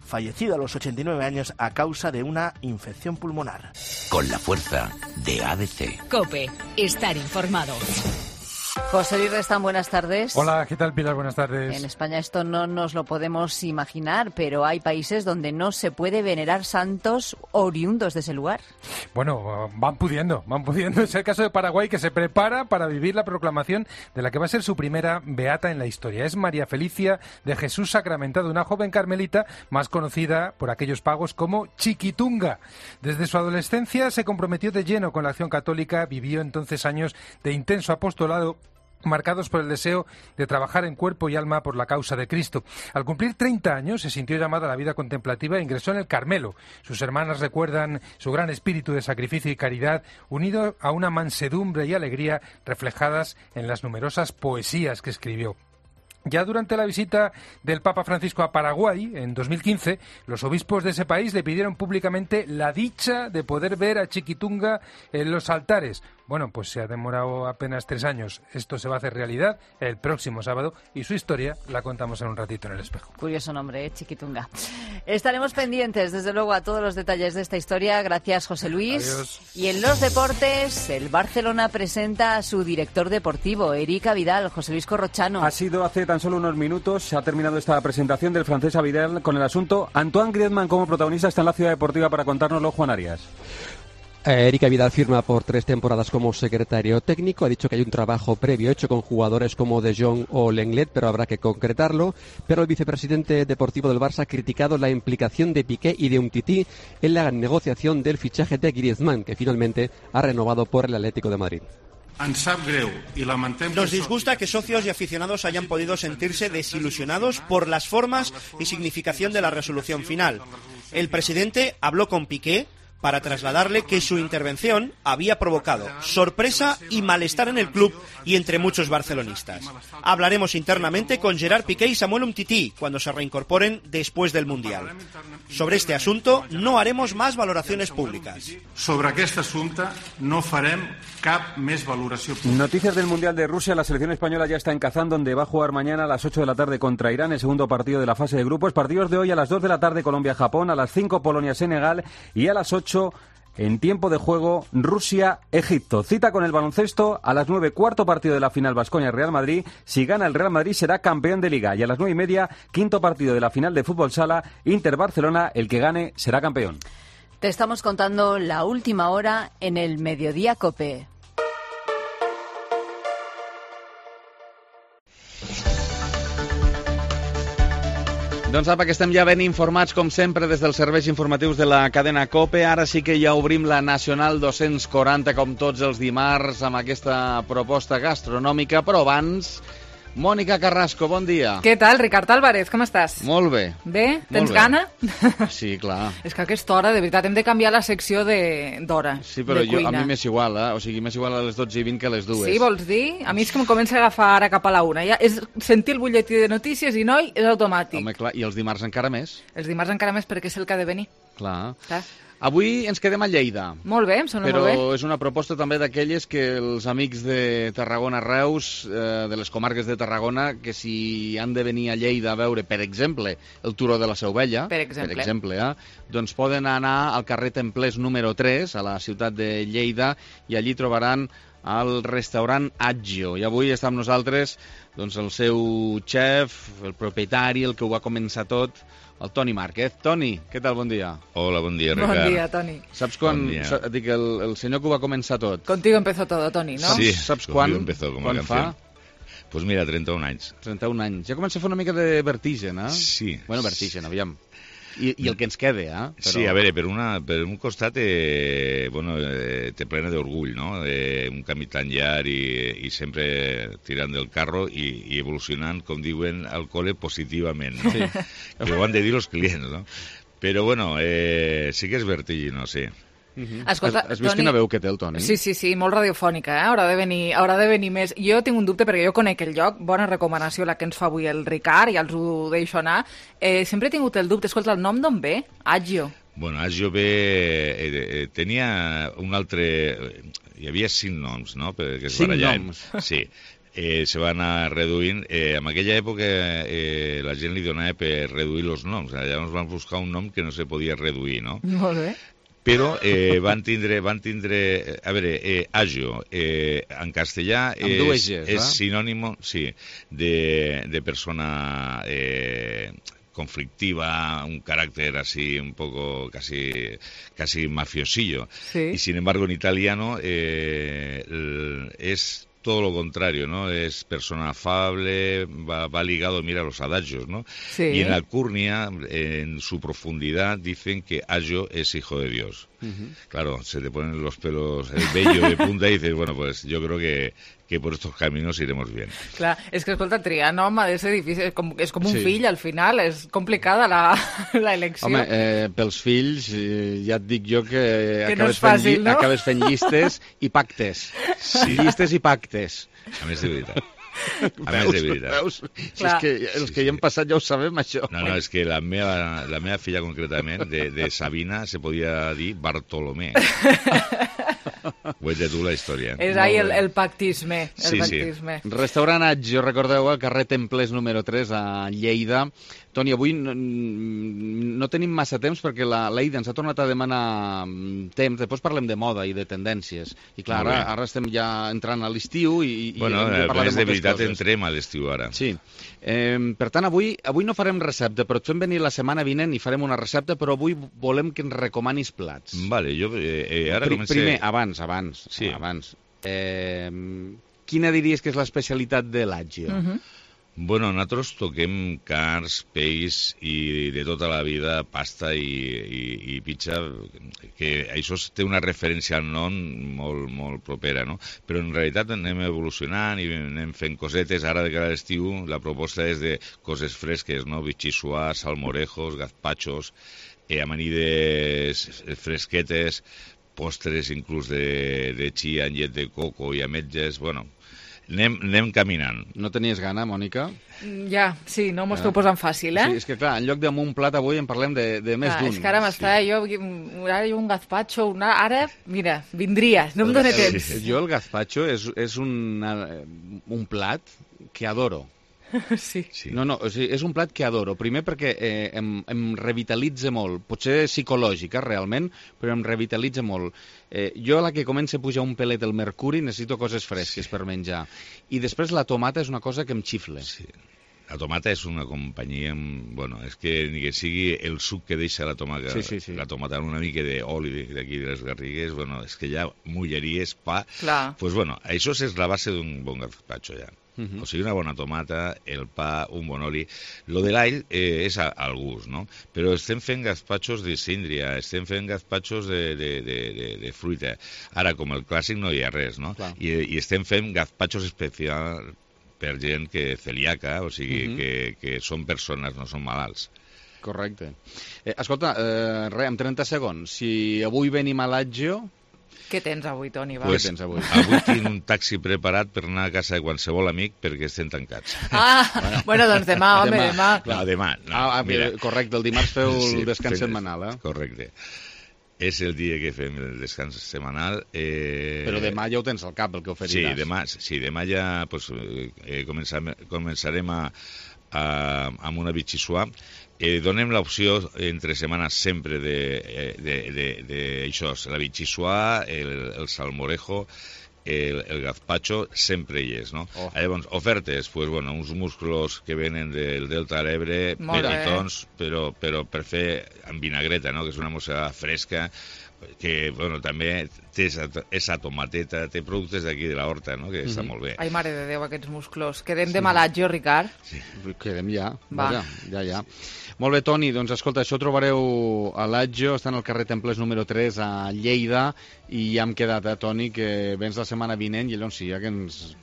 fallecido a los ochenta y nueve años a causa de una infección pulmonar. Con la fuerza de A D C. COPE, estar informado. José Luis Restán, buenas tardes. Hola, ¿qué tal, Pilar? Buenas tardes. En España esto no nos lo podemos imaginar, pero hay países donde no se puede venerar santos oriundos de ese lugar. Bueno, van pudiendo, van pudiendo. Es el caso de Paraguay, que se prepara para vivir la proclamación de la que va a ser su primera beata en la historia. Es María Felicia de Jesús Sacramentado, una joven carmelita más conocida por aquellos pagos como Chiquitunga. Desde su adolescencia se comprometió de lleno con la acción católica, vivió entonces años de intenso apostolado, marcados por el deseo de trabajar en cuerpo y alma por la causa de Cristo. Al cumplir treinta años se sintió llamada a la vida contemplativa e ingresó en el Carmelo. Sus hermanas recuerdan su gran espíritu de sacrificio y caridad, unido a una mansedumbre y alegría reflejadas en las numerosas poesías que escribió. Ya durante la visita del Papa Francisco a Paraguay, en dos mil quince, los obispos de ese país le pidieron públicamente la dicha de poder ver a Chiquitunga en los altares. Bueno, pues se ha demorado apenas tres años. Esto se va a hacer realidad el próximo sábado y su historia la contamos en un ratito en El Espejo. Curioso nombre, ¿eh? Chiquitunga. Estaremos pendientes, desde luego, a todos los detalles de esta historia. Gracias, José Luis. Adiós. Y en los deportes, el Barcelona presenta a su director deportivo, Eric Vidal. José Luis Corrochano. Ha sido hace tan solo unos minutos, se ha terminado esta presentación del francés Vidal con el asunto. Antoine Griezmann como protagonista está en la Ciudad Deportiva para contárnoslo, Juan Arias. Eh, Eric Vidal firma por tres temporadas como secretario técnico. Ha dicho que hay un trabajo previo hecho con jugadores como De Jong o Lenglet, pero habrá que concretarlo. Pero el vicepresidente deportivo del Barça ha criticado la implicación de Piqué y de Umtiti en la negociación del fichaje de Griezmann, que finalmente ha renovado por el Atlético de Madrid. Nos disgusta que socios y aficionados hayan podido sentirse desilusionados por las formas y significación de la resolución final. El presidente habló con Piqué, para trasladarle que su intervención había provocado sorpresa y malestar en el club y entre muchos barcelonistas. Hablaremos internamente con Gerard Piqué y Samuel Umtiti cuando se reincorporen después del Mundial. Sobre este asunto no haremos más valoraciones públicas. Sobre aquest assumpte no farem cap més valoració pública. Noticias del Mundial de Rusia. La selección española ya está en Kazán, donde va a jugar mañana a las ocho de la tarde contra Irán, el segundo partido de la fase de grupos. Partidos de hoy a las dos de la tarde Colombia-Japón, a las cinco Polonia-Senegal y a las ocho en tiempo de juego Rusia-Egipto. Cita con el baloncesto a las nueve, cuarto partido de la final Baskonia-Real Madrid. Si gana el Real Madrid será campeón de Liga. Y a las nueve y media, quinto partido de la final de fútbol sala Inter-Barcelona. El que gane será campeón. Te estamos contando la última hora en el Mediodía COPE. Doncs apa, que estem ja ben informats, com sempre, des dels serveis informatius de la cadena COPE. Ara sí que ja obrim la Nacional dos-cents quaranta, com tots els dimarts, amb aquesta proposta gastronòmica, però abans... Mònica Carrasco, bon dia. Què tal, Ricard Álvarez, com estàs? Molt bé. Bé? Tens Molt bé. gana? Sí, clar. És que a aquesta hora, de veritat, hem de canviar la secció d'hora, Sí, però de jo, a cuina. mi m'és igual, eh? O sigui, m'és igual a les dotze i vint que a les dues. Sí, vols dir? A mi és que em comença a agafar ara cap a la una. Ja és sentir el butlletí de notícies i, noi, és automàtic. Home, clar, i els dimarts encara més. Els dimarts encara més perquè és el que ha de venir. Clar. Clar. Avui ens quedem a Lleida. Molt bé, em sona Però molt bé. és una proposta també d'aquelles que els amics de Tarragona-Reus, eh, de les comarques de Tarragona, que si han de venir a Lleida a veure, per exemple, el Turó de la Seu Vella, Per exemple. per exemple eh, doncs poden anar al carrer Templers número tres, a la ciutat de Lleida, i allí trobaran al restaurant Aggio. I avui està amb nosaltres doncs, el seu xef, el propietari, el que ho va començar tot, el Toni Márquez. Toni, què tal? Bon dia. Hola, bon dia, Ricard. Bon dia, Toni. Saps quan... Bon dia. sa- Dic, el, el senyor que ho va començar tot. Contigo empezó todo, Toni, ¿no? Sí, Saps conmigo quan? empezó como quan la fa? canción. Pues mira, trenta-un anys. trenta-un anys. Ja comença a fer una mica de vertigen, eh? Sí. Bueno, vertigen, aviam. I, i el que ens quede, eh? Però... Sí, a veure, per, una, per un costat eh, bueno, eh, te plena d'orgull, no? Eh, un camí tan llarg i, i sempre tirant del carro i, i evolucionant, com diuen al col·le, positivament, no? Sí. Que ho han de dir els clients, no? Però, bueno, eh, sí que és vertiginoso, sí. Uh-huh. Escolta, has, has vist Toni- quina veu que té el Toni? Sí, sí, sí, molt radiofònica, eh? Haurà de venir, haurà de venir més. Jo tinc un dubte perquè jo conec el lloc, bona recomanació la que ens fa avui el Ricard, i els ho deixo anar. Eh, sempre he tingut el dubte, escolta, el nom d'on ve? Aggio. Bueno, Aggio ve... Eh, eh, tenia un altre... Hi havia cinc noms, no? Perquè es Cinc barallaven. noms. Sí. Eh, se va anar reduint. Eh, en aquella època eh, la gent li donava per reduir els noms. Llavors van buscar un nom que no se podia reduir, no? Molt bé. Però eh, van tindre, van tindre, a veure, eh, Aggio, eh, en castellà Amb dues és, Gs, és eh? sinònimo, sí, de, de persona eh, conflictiva, un carácter así un poco casi, casi mafiosillo. Sí. Y sin embargo en italiano eh, el- es todo lo contrario, ¿no? Es persona afable, va, va ligado, mira, a los adagios, ¿no? Sí. Y en Alcurnia, en su profundidad, dicen que Aggio es hijo de Dios. Uh-huh. Claro, se te ponen los pelos, el vello de punta y dices, bueno, pues yo creo que, que por estos caminos iremos bien. Clar, és que, escolta, triar nom ha de ser difícil, és com, és com un Sí. fill, al final, és complicada la, la elecció. Home, eh, pels fills, eh, ja et dic jo que, Que no acabes, és fàcil, fent, lli- no? acabes fent llistes i pactes. Sí. Llistes i pactes. A més de veritat. A més de veritat. Veus? Si és Clar. que els que hi hem passat ja ho sabem, això. No, no, és que la meva, la meva filla concretament, de, de Sabina, se podia dir Bartolomé. Ho ets de tu la història. És ahí el, el pactisme. El Sí, sí. pactisme. Restaurant Aggio, recordeu, al carrer Templers número tres a Lleida. Toni, avui no, no tenim massa temps perquè la Leida ens ha tornat a demanar mm, temps. Després parlem de moda i de tendències. I clar, Molt ara, bé. ara estem ja entrant a l'estiu i, i Bueno, hem de parlar més de de moltes veritat coses. entrem a l'estiu ara. Sí. Eh, per tant, avui, avui no farem recepta, però et fem venir la setmana vinent i farem una recepta, però avui volem que ens recomanis plats. Vale, jo eh, eh, ara Pri- comencé... Primer, abans, abans. Sí. abans. Eh, quina diries que és l'especialitat de l'Aggio? Mhm. Bueno, nosaltres toquem carns, peix i de tota la vida pasta i, i, i pizza, que això té una referència al nom molt, molt propera, no? Però en realitat anem evolucionant i anem fent cosetes. Ara de cara a l'estiu la proposta és de coses fresques, no? Vichysuà, salmorejos, gazpachos, eh, amanides fresquetes, postres inclús de, de chia amb llet de coco i ametges, bueno... Anem, anem caminant. No tenies gana, Mònica? Ja, sí, no m'ho esteu posant fàcil, eh? Sí, és que clar, en lloc d'un plat avui en parlem de, de més d'un. És que ara m'està, sí. jo, ara un gazpacho, una... ara, mira, vindria, no em dóna temps. Sí. Jo el gazpacho és, és una, un plat que adoro. Sí. sí. No, no, o sigui, és un plat que adoro. Primer perquè eh, em, em revitalitza molt. Potser psicològica, realment, però em revitalitza molt. Eh, jo, a la que comença a pujar un pelet el mercuri, necessito coses fresques sí. per menjar. I després la tomata és una cosa que em xifla. Sí. La tomata és una companyia... Bueno, és que ni que sigui el suc que deixa la tomata, sí, sí, sí. la tomata amb una mica d'oli d'aquí de les Garrigues, bueno, és que ja mulleries, pa... Clar. Pues bueno, això és la base d'un bon gazpacho ja. Uh -huh. O sigui, una bona tomata, el pa, un bon oli. Lo de l'all eh, és a, al gust, no? Però estem fent gazpachos de síndria, estem fent gazpachos de, de, de, de, de fruita. Ara, com el clàssic, no hi ha res, no? I, i estem fent gazpachos especials per gent que celíaca, o sigui, uh -huh. que, que són persones, no són malalts. Correcte. Eh, escolta, eh, res, en trenta segons, si avui venim a l'Aggio... Què tens avui, Toni? Va? Pues, Què tens avui? Avui tinc un taxi preparat per anar a casa de qualsevol amic perquè estem tancats. Ah, bueno, bueno doncs demà, home, demà. demà. No, demà. No, ah, ah, mira. Correcte, el dimarts feu el sí, descans fem, setmanal, eh? Correcte. És el dia que fem el descans setmanal. Eh... Però demà ja ho tens al cap, el que oferiràs. Sí, demà, sí, demà ja pues, eh, començarem, començarem a, a, amb una Vichysuà. Eh, donem l'opció entre setmanes sempre de, de, de, de això, la Vichysuà, el, el salmorejo, el, el gazpacho, sempre hi és, no? Oh. Llavors, ofertes, pues, bueno, uns musclos que venen del Delta de l'Ebre, petitons, però, però per fer amb vinagreta, no? Que és una mossegada fresca, que, bueno, també té esa tomateta, té productes d'aquí de la horta, no? Que mm-hmm. està molt bé. Ai, mare de Déu, aquests musclos. Quedem sí. de malatge, Ricard? Sí, quedem ja. Va. Ja, ja, ja. Molt bé, Toni, doncs escolta, això ho trobareu a l'Aggio, està en el carrer Templers número tres a Lleida, i ja hem quedat, eh, Toni, que vens la setmana vinent, i llavors sí, ja que ens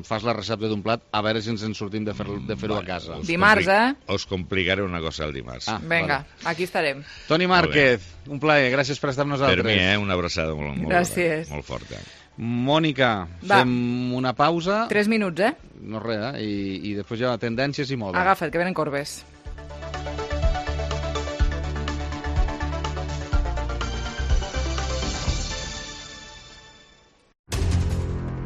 fas la recepta d'un plat, a veure si ens en sortim de fer-ho de fer-ho a casa. Dimarts, eh? Us complicaré una cosa el dimarts. Ah, vinga, vale. Aquí estarem. Toni Márquez, un plaer, gràcies per estar amb nosaltres. Per mi, eh? Una abraçada molt, molt, gràcies. molt forta. Mònica, Va. fem una pausa. Tres minuts, eh? No res, eh? I, i després ja tendències i moda. Agafa't, que venen corbes.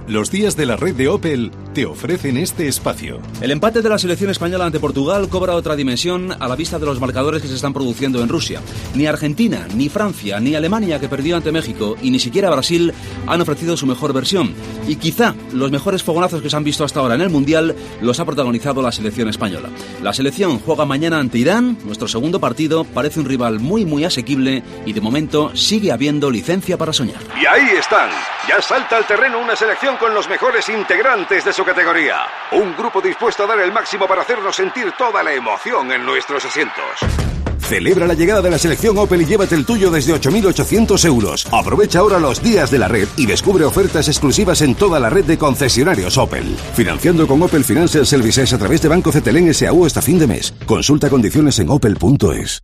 Los días de la red de Opel te ofrecen este espacio. El empate de la selección española ante Portugal cobra otra dimensión a la vista de los marcadores que se están produciendo en Rusia. Ni Argentina, ni Francia, ni Alemania, que perdió ante México, y ni siquiera Brasil han ofrecido su mejor versión. Y quizá los mejores fogonazos que se han visto hasta ahora en el Mundial los ha protagonizado la selección española. La selección juega mañana ante Irán. Nuestro segundo partido parece un rival muy muy asequible y de momento sigue habiendo licencia para soñar. Y ahí están. Ya salta al terreno una selección con los mejores integrantes de su categoría. Un grupo dispuesto a dar el máximo para hacernos sentir toda la emoción en nuestros asientos. Celebra la llegada de la selección Opel y llévate el tuyo desde ocho mil ochocientos euros. Aprovecha ahora los días de la red y descubre ofertas exclusivas en toda la red de concesionarios Opel. Financiando con Opel Financial Services a través de Banco Cetelén S A U hasta fin de mes. Consulta condiciones en opel punto es.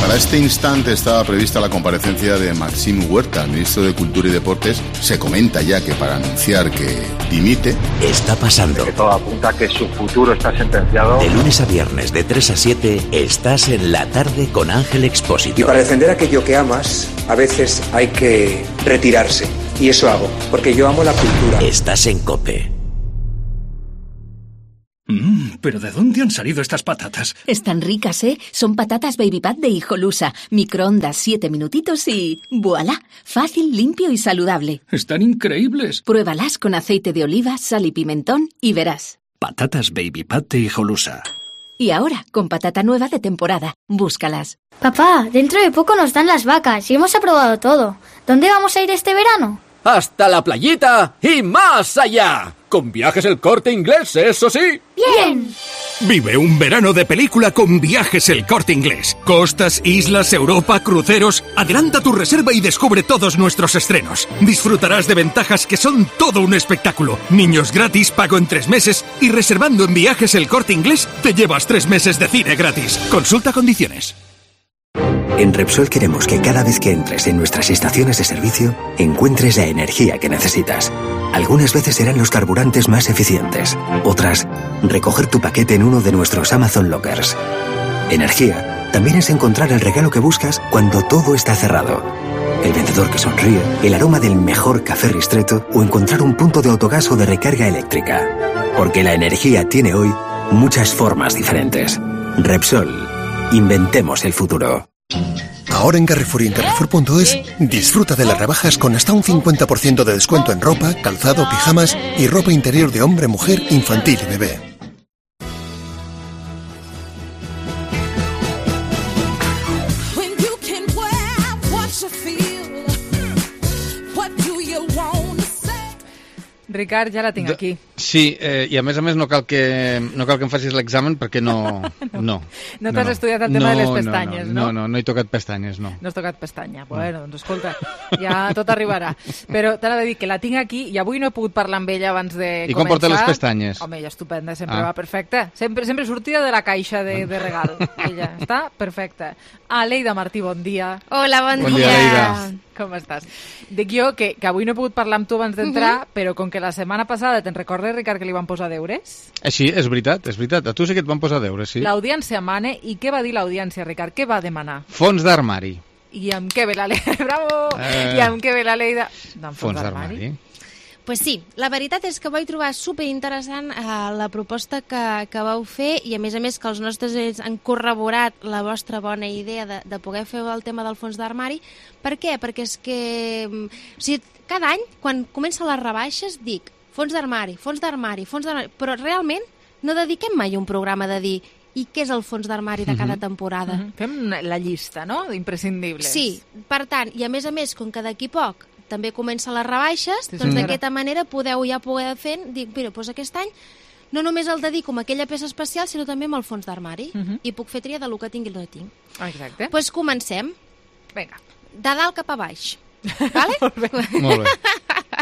Para este instante estaba prevista la comparecencia de Maxim Huerta, ministro de Cultura y Deportes. Se comenta ya que para anunciar que dimite. Está pasando. Que todo apunta a que su futuro está sentenciado. De lunes a viernes, de tres a siete, estás en La Tarde con Ángel Expósito. Y para defender aquello que amas, a veces hay que retirarse. Y eso hago, porque yo amo la cultura. Estás en COPE. Mmm, ¿pero de dónde han salido estas patatas? Están ricas, ¿eh? Son patatas Baby Pat de Hijolusa. Microondas siete minutitos y... ¡voilá! Fácil, limpio y saludable. Están increíbles. Pruébalas con aceite de oliva, sal y pimentón y verás. Patatas Baby Pat de Hijolusa. Y ahora, con patata nueva de temporada. Búscalas. Papá, dentro de poco nos dan las vacas y hemos aprobado todo. ¿Dónde vamos a ir este verano? hasta la playita y más allá. Con Viajes El Corte Inglés, eso sí. ¡Bien! Vive un verano de película con Viajes El Corte Inglés. Costas, islas, Europa, cruceros. Adelanta tu reserva y descubre todos nuestros estrenos. Disfrutarás de ventajas que son todo un espectáculo. Niños gratis, pago en tres meses y reservando en Viajes El Corte Inglés te llevas tres meses de cine gratis. Consulta condiciones. En Repsol queremos que cada vez que entres en nuestras estaciones de servicio, encuentres la energía que necesitas. Algunas veces serán los carburantes más eficientes. Otras, recoger tu paquete en uno de nuestros Amazon Lockers. Energía también es encontrar el regalo que buscas cuando todo está cerrado. El vendedor que sonríe, el aroma del mejor café Ristretto o encontrar un punto de autogas o de recarga eléctrica. Porque la energía tiene hoy muchas formas diferentes. Repsol. Inventemos el futuro. Ahora en Carrefour y en Carrefour punto es, disfruta de las rebajas con hasta un cincuenta por ciento de descuento en ropa, calzado, pijamas y ropa interior de hombre, mujer, infantil y bebé. Ricard, ja la tinc aquí. Sí, eh, i a més a més no cal que, no cal que em facis l'examen perquè no... No, no, no t'has no, estudiat el tema no, de les pestanyes, no? No, no, no, no he tocat pestanyes, no. No has tocat pestanya. Bueno, doncs escolta, ja tot arribarà. Però t'ha de dir que la tinc aquí i avui no he pogut parlar amb ella abans de I començar. com porta les pestanyes? Home, ella estupenda, sempre ah. va perfecta. Sempre, sempre sortida de la caixa de, de regal. Ella està perfecta. Aleida Martí, bon dia. Hola, bon, bon dia. dia Com estàs? Dic jo que, que avui no he pogut parlar amb tu abans d'entrar, uh -huh. però com que la setmana passada te'n recordes, Ricard, que li van posar deures? Eh, sí, és veritat, és veritat. A tu sí que et van posar deures, sí. L'audiència mane, i què va dir l'audiència, Ricard? Què va demanar? Fons d'armari. I amb què ve la Leida? Bravo! Eh... I amb què ve la Leida? Doncs fons d'armari. Pues sí, la veritat és que vaig trobar superinteressant eh, la proposta que, que vau fer i a més a més que els nostres ells han corroborat la vostra bona idea de, de poder fer el tema del fons d'armari. Per què? Perquè és que o sigui, cada any, quan comencen les rebaixes, dic fons d'armari, fons d'armari, fons d'armari, però realment no dediquem mai un programa de dir i què és el fons d'armari de cada temporada. Uh -huh. Fem la llista, no?, d'imprescindibles. Sí, per tant, i a més a més, com que d'aquí poc també comença les rebaixes, sí, doncs d'aquesta manera podeu ja poder fer, dic, mira, doncs aquest any no només el dedico amb aquella peça especial, sinó també amb el fons d'armari, uh -huh. i puc fer tria del que tinc i el que no tinc. Exacte. Doncs pues comencem. Vinga. De dalt cap a baix. Vale? Molt bé. Molt bé.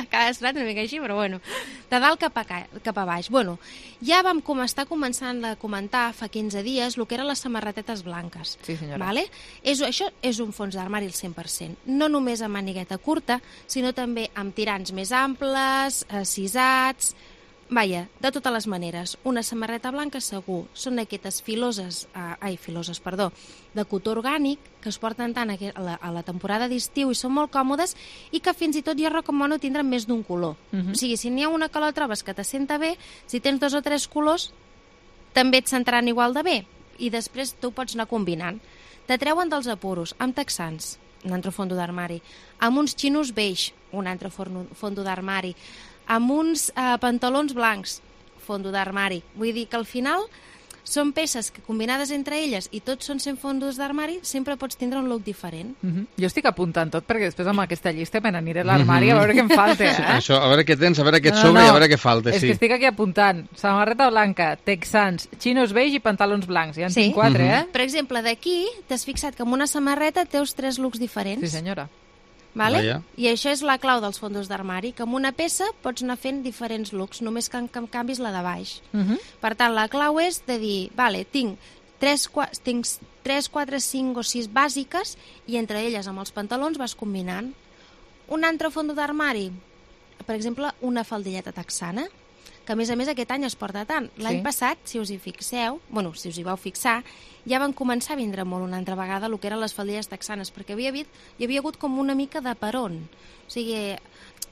Cada sonat una mica així, però bueno. De dalt cap a, cap a baix. Bueno, ja vam com estar començant a comentar fa quinze dies el que eren les samarretetes blanques. Sí, senyora. Vale? És, això és un fons d'armari al cent per cent. No només amb manigueta curta, sinó també amb tirants més amples, cisats... Vaja, de totes les maneres, una samarreta blanca segur. Són aquestes filoses, eh, ai, filoses, perdó, de cotó orgànic, que es porten tant a la, a la temporada d'estiu i són molt còmodes i que fins i tot jo recomano tindre més d'un color. Uh -huh. O sigui, si n'hi ha una que la trobes que t'assenta bé, si tens dos o tres colors, també et sentaran igual de bé. I després tu pots anar combinant. Te treuen dels apuros, amb texans, un altre fondo d'armari, amb uns xinos beix, un altre fondo d'armari, amb uns eh, pantalons blancs, fondo d'armari. Vull dir que al final són peces que combinades entre elles i tots són cent fondos d'armari, sempre pots tindre un look diferent. Uh -huh. Jo estic apuntant tot perquè després amb aquesta llista me n'aniré a l'armari uh -huh. a veure què em falta. Eh? Sí, això, a veure què tens, a veure què et no, sobra no, no. i a veure què falta. És sí. que estic aquí apuntant. Samarreta blanca, texans, xinos beige i pantalons blancs. Ja en sí. tinc quatre, uh -huh. eh? Per exemple, d'aquí t'has fixat que amb una samarreta teus tres looks diferents. Sí, senyora. Vale? Vaya. I això és la clau dels fondos d'armari, que amb una peça pots anar fent diferents looks, només que en canvis la de baix. Uh -huh. Per tant, la clau és de dir, vale, tinc tres, tinc tres, quatre, cinc o sis bàsiques i entre elles amb els pantalons vas combinant. Un altre fondo d'armari, per exemple, una faldilleta texana, que a més a més aquest any es porta tant. L'any sí. passat, si us hi fixeu, bueno, si us hi vau fixar, ja van començar a vindre molt una altra vegada el que eren les faldilles texanes, perquè havia havia, hi havia hagut com una mica de peron. O sigui,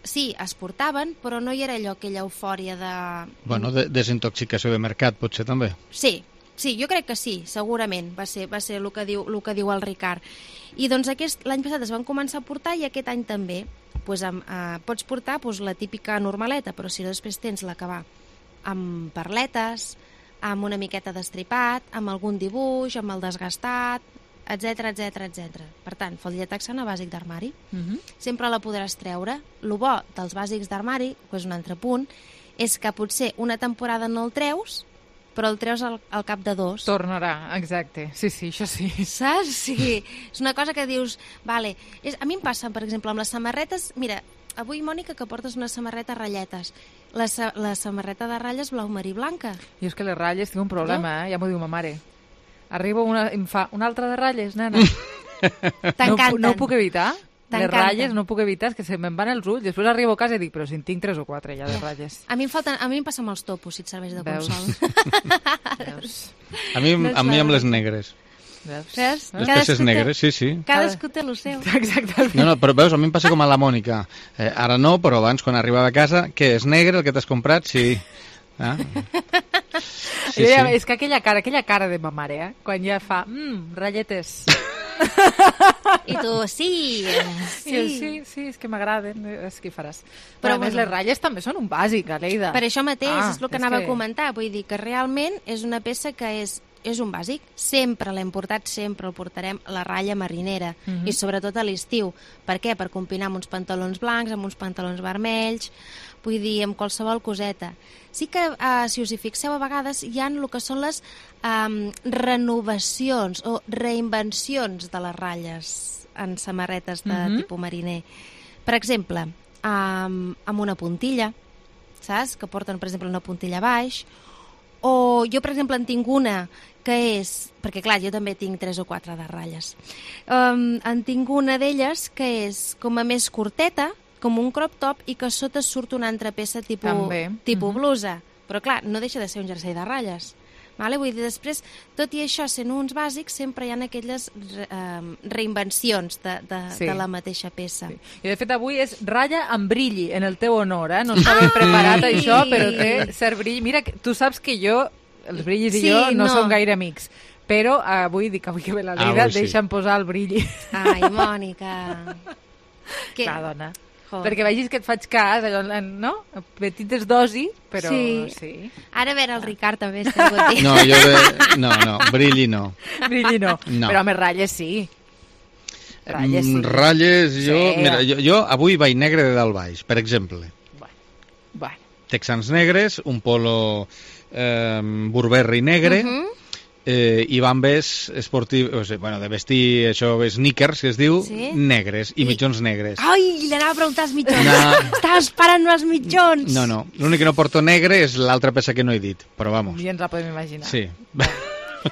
sí, es portaven, però no hi era allò, aquella eufòria de... Bueno, de desintoxicació de mercat, potser també. Sí, sí, jo crec que sí, segurament, va ser, va ser el, que diu, el que diu el Ricard. I doncs aquest l'any passat es van començar a portar i aquest any també. Pues amb, eh, pots portar pues, la típica normaleta, però si després tens la que va amb perletes, amb una miqueta d'estripat, amb algun dibuix, amb el desgastat, etc etc etc. Per tant, faldilla texana, bàsic d'armari. Uh -huh. Sempre la podràs treure. El bo dels bàsics d'armari, que és un altre punt, és que potser una temporada no el treus, però el treus al, al cap de dos. Tornarà, exacte. Sí, sí, això sí. Saps? Sí. És una cosa que dius... Vale. És, a mi em passa, per exemple, amb les samarretes... Mira, avui, Mònica, que portes una samarreta a ratlletes. La, la samarreta de ratlles blau marí blanca. Jo és que les ratlles tinc un problema, eh? Ja m'ho diu ma mare. Arriba una, em fa una altra de ratlles, nena. T'encanten. No, no ho puc evitar. Les ratlles no puc evitar, és que se me'n van els ulls. Després arribo a casa i dic, però si en tinc tres o quatre ja de ratlles. A mi em, falten, a mi em passa amb els topos, si et serveix de consol. Veus? A mi, a mi amb les negres. Veus? Les peces negres, sí, sí. Cadascú té el seu. Exactament. No, no, però veus, a mi em passa com a la Mònica. Eh, ara no, però abans, quan arribava a casa, què, és negre el que t'has comprat? Sí. Ah. Sí, sí. És que aquella cara, aquella cara de ma mare, eh? Quan ja fa, mmm, ratlletes. I tu, sí, sí. Jo, sí, sí, és que m'agraden, és que hi faràs. Però, però a més, bueno, les ratlles també són un bàsic, Aleida. Per això mateix, ah, és el que anava que... a comentar. Vull dir que realment és una peça que és és un bàsic, sempre l'hem portat, sempre el portarem, la ratlla marinera, uh -huh. i sobretot a l'estiu. Per què? Per combinar amb uns pantalons blancs, amb uns pantalons vermells, vull dir, amb qualsevol coseta. Sí que, uh, si us hi fixeu, a vegades hi ha el que són les um, renovacions o reinvencions de les ratlles en samarretes de uh -huh. tipus mariner. Per exemple, um, amb una puntilla, saps? Que porten, per exemple, una puntilla a baix, o jo, per exemple, en tinc una que és... Perquè, clar, jo també tinc tres o quatre de ratlles. Um, en tinc una d'elles que és com a més curteta, com un crop top, i que a sota surt una altra peça tipus, tipus uh -huh. blusa. Però, clar, no deixa de ser un jersei de ratlles. Vale? Vull dir, després, tot i això, sent uns bàsics, sempre hi ha aquelles re, um, reinvencions de, de, sí. de la mateixa peça. Sí. I, de fet, avui és ratlla amb brilli, en el teu honor, eh? No estava ah, preparat ai. això, però té cert brilli. Mira, tu saps que jo, els brillis i sí, jo, no, no som gaire amics. Però avui dic, avui que ve la Leida, ah, deixa'm sí. posar el brilli. Ai, Mònica. Que... Clar, dona. Joder. Perquè vegis que et faig cas, allò, no? Petites dosi, però sí. sí. Ara a veure el Ricard també està content. No, jo de... no, no, brilli no. Brilli no, no. Però més ratlles sí. Ratlles, sí. Ratlles jo, sí. Mira, jo, jo avui vaig negre de dalt baix, per exemple. Bueno, bueno. Texans negres, un polo eh, Burberry negre, uh -huh. eh, i bambes esportius, o sigui, bueno, de vestir, això, sneakers, que es diu, sí? negres, i, I mitjons negres. Ai, li anava a preguntar els mitjons. No. Estava esperant els mitjons. No, no, l'únic que no porto negre és l'altra peça que no he dit, però vamos. Ja ens la podem imaginar. Sí.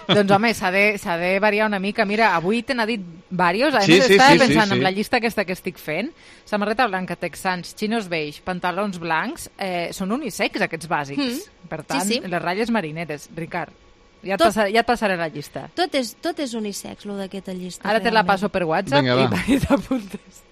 Doncs home, s'ha de, s'ha de variar una mica. Mira, avui te n'ha dit diversos. Sí, sí, Estava sí, pensant sí, sí. en la llista aquesta que estic fent. Samarreta blanca, texans, xinos beix, pantalons blancs. Eh, són unisex, aquests bàsics. Mm. Per tant, sí, sí. les ratlles marineres. Ricard, ja et, tot, passaré, ja et passaré la llista. Tot és, tot és unisex, lo d'aquesta llista. Ara realment. Te la passo per WhatsApp. Vinga, i t'apuntes.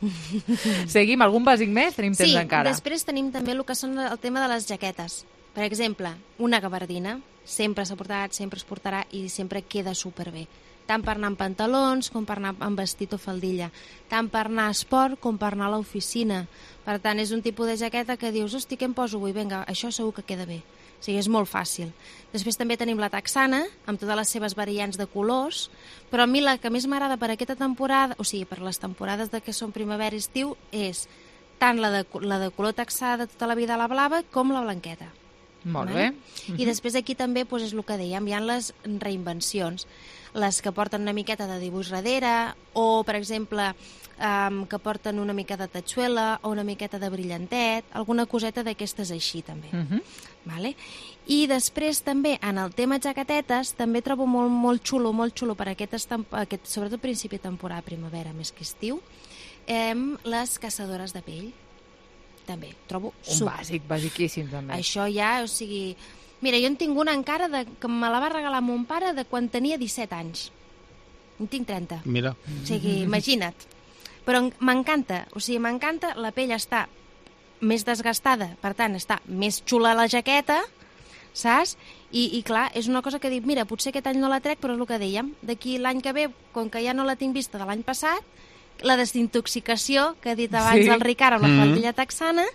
Seguim, algun bàsic més? Tenim temps sí, encara. Sí, després tenim també el que són el tema de les jaquetes. Per exemple, una gabardina. Sempre s'ha portat, sempre es portarà i sempre queda superbé. Tant per anar amb pantalons com per anar amb vestit o faldilla. Tant per anar a esport com per anar a l'oficina. Per tant, és un tipus de jaqueta que dius, hosti, què em poso avui? Vinga, això segur que queda bé. O sigui, és molt fàcil. Després també tenim la texana, amb totes les seves variants de colors, però a mi la que més m'agrada per aquesta temporada, o sigui, per les temporades de que són primavera i estiu, és tant la de, la de color texà de tota la vida, la blava, com la blanqueta. Molt bé. I després aquí també doncs, és el que dèiem, hi ha les reinvencions, les que porten una miqueta de dibuix darrere, o, per exemple, um, que porten una mica de tatxuela o una miqueta de brillantet, alguna coseta d'aquestes així, també. Uh -huh. Vale? I després també, en el tema jaquetetes, també trobo molt, molt xulo, molt xulo per aquest, aquest sobretot principi de temporada, primavera, més que estiu, eh, les caçadores de pell. També, trobo un super. bàsic, bàsiquíssim també. Això ja, o sigui... Mira, jo en tinc una encara de, que me la va regalar mon pare de quan tenia disset anys. En tinc trenta. Mira. O sigui, imagina't. Però m'encanta, o sigui, m'encanta, la pell està més desgastada, per tant, està més xula la jaqueta, saps? I, i clar, és una cosa que dic, mira, potser aquest any no la trec, però és el que dèiem, d'aquí l'any que ve, com que ja no la tinc vista de l'any passat, la desintoxicació que ha dit abans sí. el Ricard amb la faldilla texana,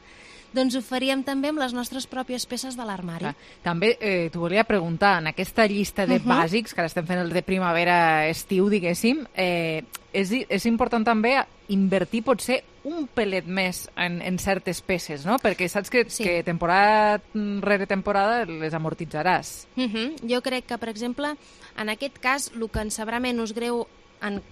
doncs ho faríem també amb les nostres pròpies peces de l'armari. També eh, t'ho volia preguntar, en aquesta llista de uh -huh. bàsics, que ara estem fent el de primavera-estiu, diguéssim, eh, és, és important també invertir potser un pelet més en, en certes peces, no? Perquè saps que, sí. que temporada rere temporada les amortitzaràs. Uh -huh. Jo crec que, per exemple, en aquest cas, el que ens sabrà menys greu en,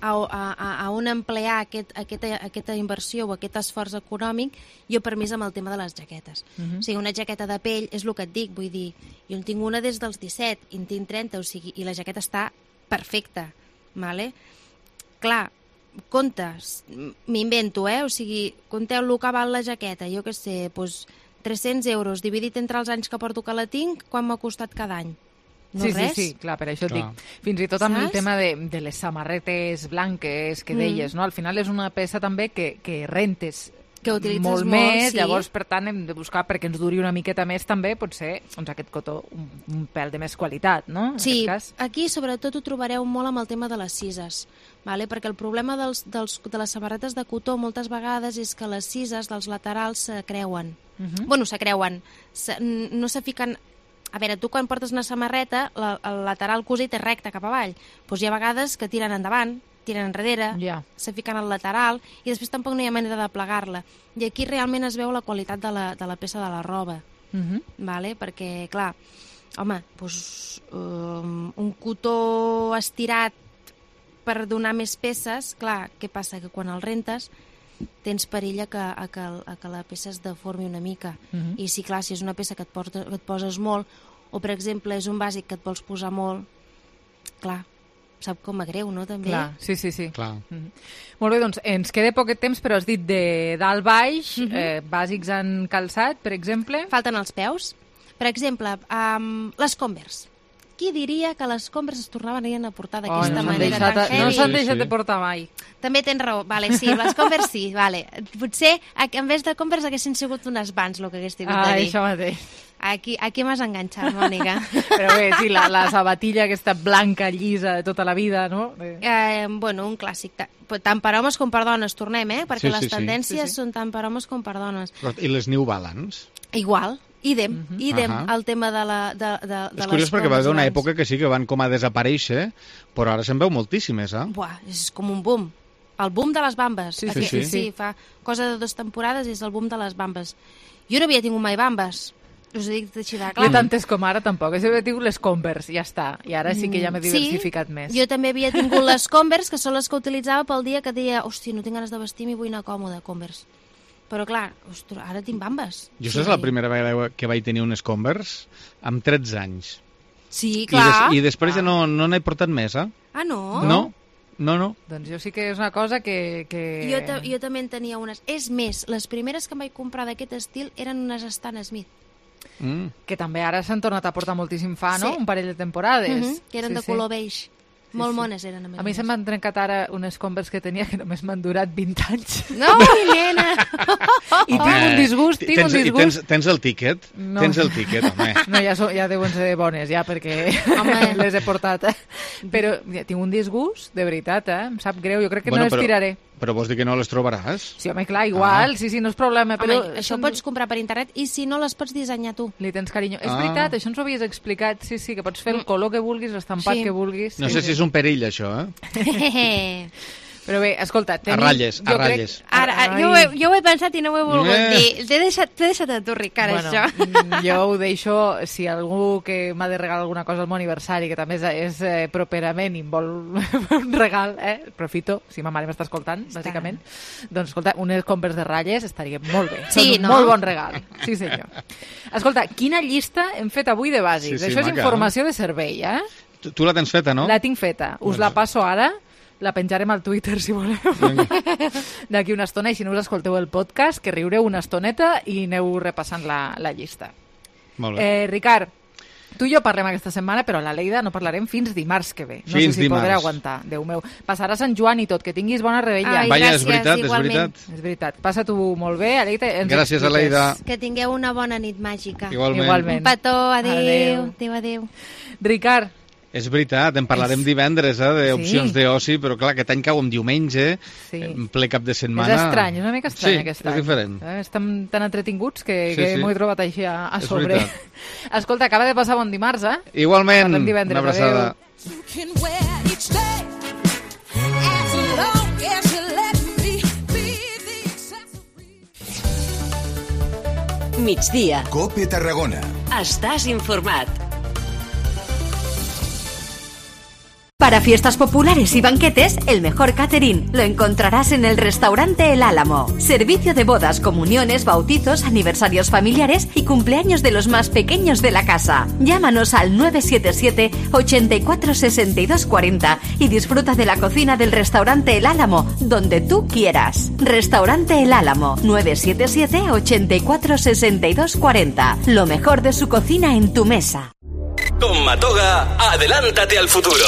a, a, a on emplear aquest, aquesta, aquesta inversió o aquest esforç econòmic, jo per mi és amb el tema de les jaquetes. Uh -huh. O sigui, una jaqueta de pell, és el que et dic, vull dir, jo en tinc una des dels disset i en tinc trenta, o sigui, i la jaqueta està perfecta, vale? Clar, comptes, m'invento, eh? O sigui, compteu el que val la jaqueta, jo què sé, doncs tres-cents euros, dividit entre els anys que porto que la tinc, quan m'ha costat cada any? No sí, res? sí, sí, clar, per això et Clar. dic. Fins i tot amb Saps? el tema de, de les samarretes blanques que deies, Mm. no? Al final és una peça també que, que rentes que utilitzes molt, molt, més, sí. llavors, per tant, hem de buscar, perquè ens duri una miqueta més també, potser, doncs aquest cotó un, un pèl de més qualitat, no? En Sí, aquest cas. aquí sobretot ho trobareu molt amb el tema de les cises, vale? Perquè el problema dels, dels, de les samarretes de cotó moltes vegades és que les cises dels laterals se creuen. Uh -huh. Bueno, se creuen, se, no se fiquen... A veure, tu quan portes una samarreta, la, el lateral cosit és recte cap avall, doncs hi ha vegades que tiren endavant, tiren enrere, yeah. se fiquen al lateral i després tampoc no hi ha manera de plegar-la. I aquí realment es veu la qualitat de la, de la peça de la roba, Uh -huh. vale? Perquè, clar, home, doncs, um, un cotó estirat per donar més peces, clar, què passa? Que quan el rentes tens perill a que, a que, a que la peça es deformi una mica. Uh -huh. I sí, clar, si és una peça que et, porta, que et poses molt, o per exemple és un bàsic que et vols posar molt, clar, sap com a greu, no? També. Clar, sí, sí, sí. Clar. Mm -hmm. Molt bé, doncs ens queda poquet temps, però has dit de dalt baix, Mhm. eh, bàsics en calçat, per exemple. Falten els peus. Per exemple, um, les Converse. Qui diria que les Converse es tornaven a portar d'aquesta Oh, no s'han manera deixat, tan heavy? no s'han deixat de portar mai. També tens raó. Vale, sí, les Converse sí, vale. Potser, en vés de Converse, haguessin sigut unes Vans, el que hagués tingut Ah, de dir. això mateix. Aquí, aquí m'has enganxat, Mònica. Però bé, sí, la, la sabatilla aquesta blanca, llisa, de tota la vida, no? Eh. Eh, bueno, un clàssic. Ta- Tant per homes com per dones, tornem, eh? Perquè Sí, les sí, sí. tendències Sí, sí. són tant per homes com per dones. I les New Balance? Igual, idem, uh -huh. idem, Ahà. el tema de, la, de, de, de És curiós perquè va haver una Converse època que sí que van com a desaparèixer, però ara se'n veu moltíssimes, eh? Buah, és com un boom. El boom de les bambes. Sí, Aquí, sí, sí. sí, fa cosa de dues temporades és el boom de les bambes. Jo no havia tingut mai bambes. Us ho dic així de clar. Jo tantes com ara tampoc. Jo he tingut les Converse, ja està. I ara sí que ja m'he diversificat sí, més. Jo també havia tingut les Converse, que són les que utilitzava pel dia que deia, hòstia, no tinc ganes de vestir, m'hi vull anar còmode, Converse. Però clar, ostres, ara tinc bambes. Jo sí. És la primera vegada que vaig tenir unes Converse amb tretze anys. Sí, I, clar. des, i després ja no, no n'he portat més, eh? Ah, no? No, no, no. Doncs jo sí que és una cosa que... que... Jo, ta jo també en tenia unes. És més, les primeres que em vaig comprar d'aquest estil eren unes Stan Smith. Mm. Que també ara s'han tornat a portar moltíssim fa, no? Sí. Un parell de temporades. Uh -huh, que eren sí, de sí. color beige. Sí, Molt sí. mones eren, a més A mi se m'han trencat ara unes Converse que tenia que només m'han durat vint anys. No, nena! I tinc un disgust, tinc tens, un i disgust. tens, tens el tíquet? No. Tens el tíquet, home. No, ja, so, ja deuen ser bones, ja, perquè Home. les he portat. Eh? Però ja, tinc un disgust, de veritat, eh? Em sap greu, jo crec que Bueno, no les però- tiraré. Però vols dir que no les trobaràs? Sí, home, clar, igual, Ah. sí, sí, no és problema, però... Home, això ho pots comprar per internet i si no les pots dissenyar tu. Li tens carinyo. És Ah. veritat, això ens ho havies explicat, sí, sí, que pots fer el color que vulguis, l'estampat Sí. que vulguis. No sí, sé sí. si és un perill, això, eh? Però bé, escolta... A ratlles, a jo crec- ratlles. Ara, ara, Ai. jo, ho he, jo ho he pensat i no ho he volgut Eh. dir. T'he deixat, t'he deixat a tu, Ricard, Bueno, això. mm, jo ho deixo, si algú que m'ha de regalar alguna cosa al meu aniversari, que també és, és eh, properament i em vol un regal, eh? Aprofito, si ma mare m'està escoltant, bàsicament. Doncs, escolta, unes Converse de ratlles estaria molt bé. Sí, Són un no? molt bon regal. Sí, senyor. Escolta, quina llista hem fet avui de bàsics? Sí, sí, Això és maca. informació de servei, eh? Tu, tu la tens feta, no? La tinc feta. Us la passo ara. La penjarem al Twitter, si voleu. D'aquí una estona, i si no us escolteu el podcast, que riureu una estoneta i aneu repassant la, la llista. Molt bé. Eh, Ricard, tu i jo parlem aquesta setmana, però a la Leida no parlarem fins dimarts que ve. No Fins sé si dimarts. podré aguantar, Déu meu. Passarà Sant Joan i tot, que tinguis bona rebella. Ai, Vaja, és gràcies, veritat, és igualment. veritat. És veritat. Passa-t'ho molt bé, Aleida. Ens Gràcies, expliques. Aleida. Que tingueu una bona nit màgica. Igualment. Igualment. Un petó, adéu. Adéu. Adéu, adéu. Ricard, És veritat, en parlarem és... divendres, eh, d'opcions sí. d'oci, però clar, aquest any cau en diumenge, sí. en ple cap de setmana... És estrany, és una mica estrany sí, aquest any. Sí, és diferent. Eh, estem tan entretinguts que, sí, que sí. m'ho he trobat així a, a és sobre. Veritat. Escolta, acaba de passar bon dimarts, eh? Igualment, una abraçada. Migdia. COPE Tarragona. Estàs informat. Para fiestas populares y banquetes, el mejor catering lo encontrarás en el restaurante El Álamo. Servicio de bodas, comuniones, bautizos, aniversarios familiares y cumpleaños de los más pequeños de la casa. Llámanos al nueve siete siete, ochenta y cuatro, sesenta y dos cuarenta y disfruta de la cocina del restaurante El Álamo, donde tú quieras. Restaurante El Álamo, nueve siete siete, ochenta y cuatro, sesenta y dos cuarenta. Lo mejor de su cocina en tu mesa. Con Matoga, adelántate al futuro.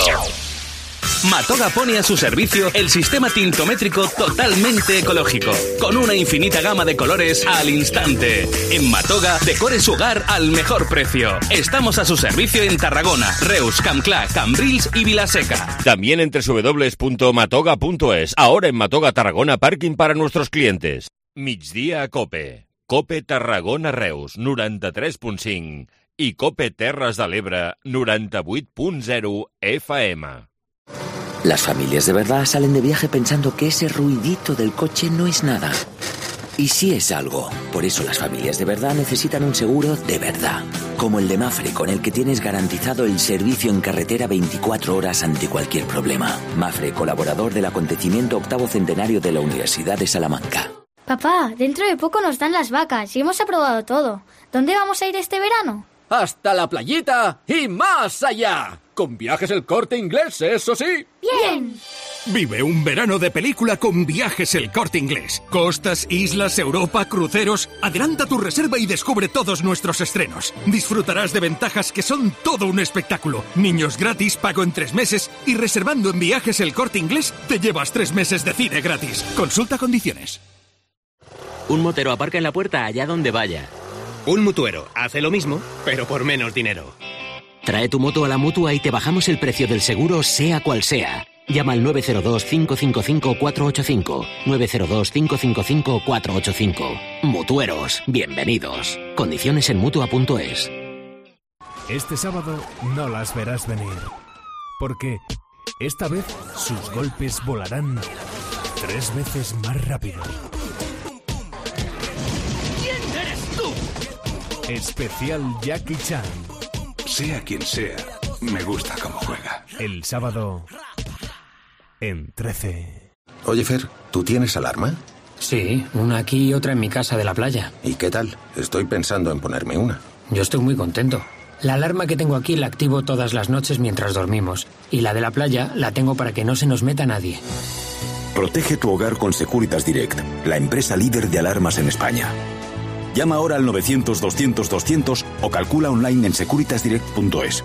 Matoga pone a su servicio el sistema tintométrico totalmente ecológico, con una infinita gama de colores al instante. En Matoga, decore su hogar al mejor precio. Estamos a su servicio en Tarragona, Reus, Campclà, Cambrils y Vilaseca. También en doble u doble u doble u punto matoga punto es. Ahora en Matoga Tarragona, parking para nuestros clientes. Migdia Cope. Cope Tarragona Reus, noranta-tres punt cinc. I Cope Terres de l'Ebre, noranta-vuit punt zero F M. Las familias de verdad salen de viaje pensando que ese ruidito del coche no es nada. Y sí es algo. Por eso las familias de verdad necesitan un seguro de verdad. Como el de Mafre, con el que tienes garantizado el servicio en carretera veinticuatro horas ante cualquier problema. Mafre, colaborador del acontecimiento octavo centenario de la Universidad de Salamanca. Papá, dentro de poco nos dan las vacas y hemos aprobado todo. ¿Dónde vamos a ir este verano? Hasta la playita y más allá. Con Viajes El Corte Inglés, eso sí. ¡Bien! Vive un verano de película con Viajes El Corte Inglés. Costas, islas, Europa, cruceros. Adelanta tu reserva y descubre todos nuestros estrenos. Disfrutarás de ventajas que son todo un espectáculo. Niños gratis, pago en tres meses y reservando en Viajes El Corte Inglés te llevas tres meses de cine gratis. Consulta condiciones. Un motero aparca en la puerta allá donde vaya. Un mutuero hace lo mismo, pero por menos dinero. Trae tu moto a la Mutua y te bajamos el precio del seguro, sea cual sea. Llama al nueve cero dos, cinco cinco cinco, cuatro ocho cinco. nueve cero dos, cinco cinco cinco, cuatro ocho cinco. Mutueros, bienvenidos. Condiciones en mutua punto es. Este sábado no las verás venir. Porque esta vez sus golpes volarán tres veces más rápido. Especial Jackie Chan. Sea quien sea, me gusta cómo juega. El sábado en trece. Oye, Fer, ¿tú tienes alarma? Sí, una aquí y otra en mi casa de la playa. ¿Y qué tal? Estoy pensando en ponerme una. Yo estoy muy contento. La alarma que tengo aquí la activo todas las noches mientras dormimos. Y la de la playa la tengo para que no se nos meta nadie. Protege tu hogar con Securitas Direct, la empresa líder de alarmas en España. Llama ahora al novecientos, doscientos, doscientos o calcula online en securitas direct punto es.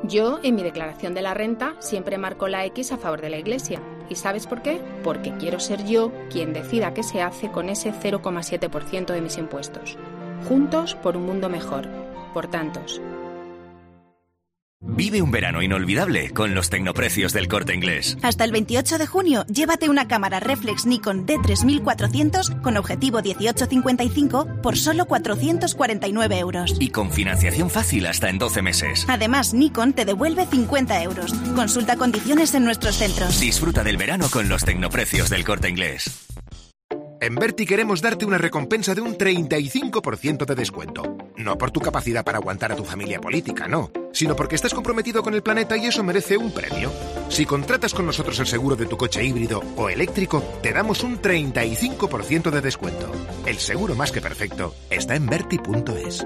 Yo, en mi declaración de la renta, siempre marco la X a favor de la Iglesia. ¿Y sabes por qué? Porque quiero ser yo quien decida qué se hace con ese cero coma siete por ciento de mis impuestos. Juntos por un mundo mejor. Por tantos. Vive un verano inolvidable con los tecnoprecios del Corte Inglés. Hasta el veintiocho de junio, llévate una cámara reflex Nikon D tres mil cuatrocientos con objetivo dieciocho cincuenta y cinco por solo cuatrocientos cuarenta y nueve euros. Y con financiación fácil hasta en doce meses. Además, Nikon te devuelve cincuenta euros. Consulta condiciones en nuestros centros. Disfruta del verano con los tecnoprecios del Corte Inglés. En Berti queremos darte una recompensa de un treinta y cinco por ciento de descuento. No por tu capacidad para aguantar a tu familia política, no, sino porque estás comprometido con el planeta y eso merece un premio. Si contratas con nosotros el seguro de tu coche híbrido o eléctrico, te damos un treinta y cinco por ciento de descuento. El seguro más que perfecto está en berti punto es.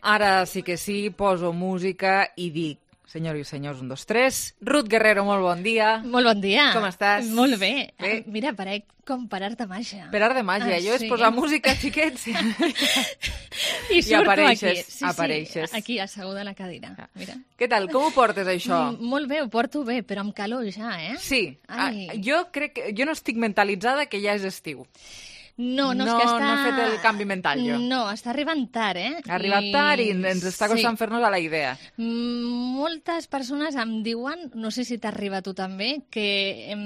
Ara sí que sí, poso música i dic, Senyors i senyors, un, dos, tres. Ruth Guerrero, molt bon dia. Molt bon dia. Com estàs? Molt bé. Bé. Mira, parec com per art de màgia. Per art de màgia. Ah, jo és sí. posar música, xiquets. I surto apareixes, aquí. Sí, apareixes. Sí, aquí, asseguda a la cadira. Mira. Què tal? Com ho portes, això? Mm, molt bé, ho porto bé, però amb calor ja, eh? Sí. Ah, jo crec que... Jo no estic mentalitzada que ja és estiu. No, no, no, és que està... no he fet el canvi mental, jo. No, està arribant tard, eh? Ha arribat I... tard i ens està costant sí. fer-nos a la idea. Moltes persones em diuen, no sé si t'arriba a tu també, que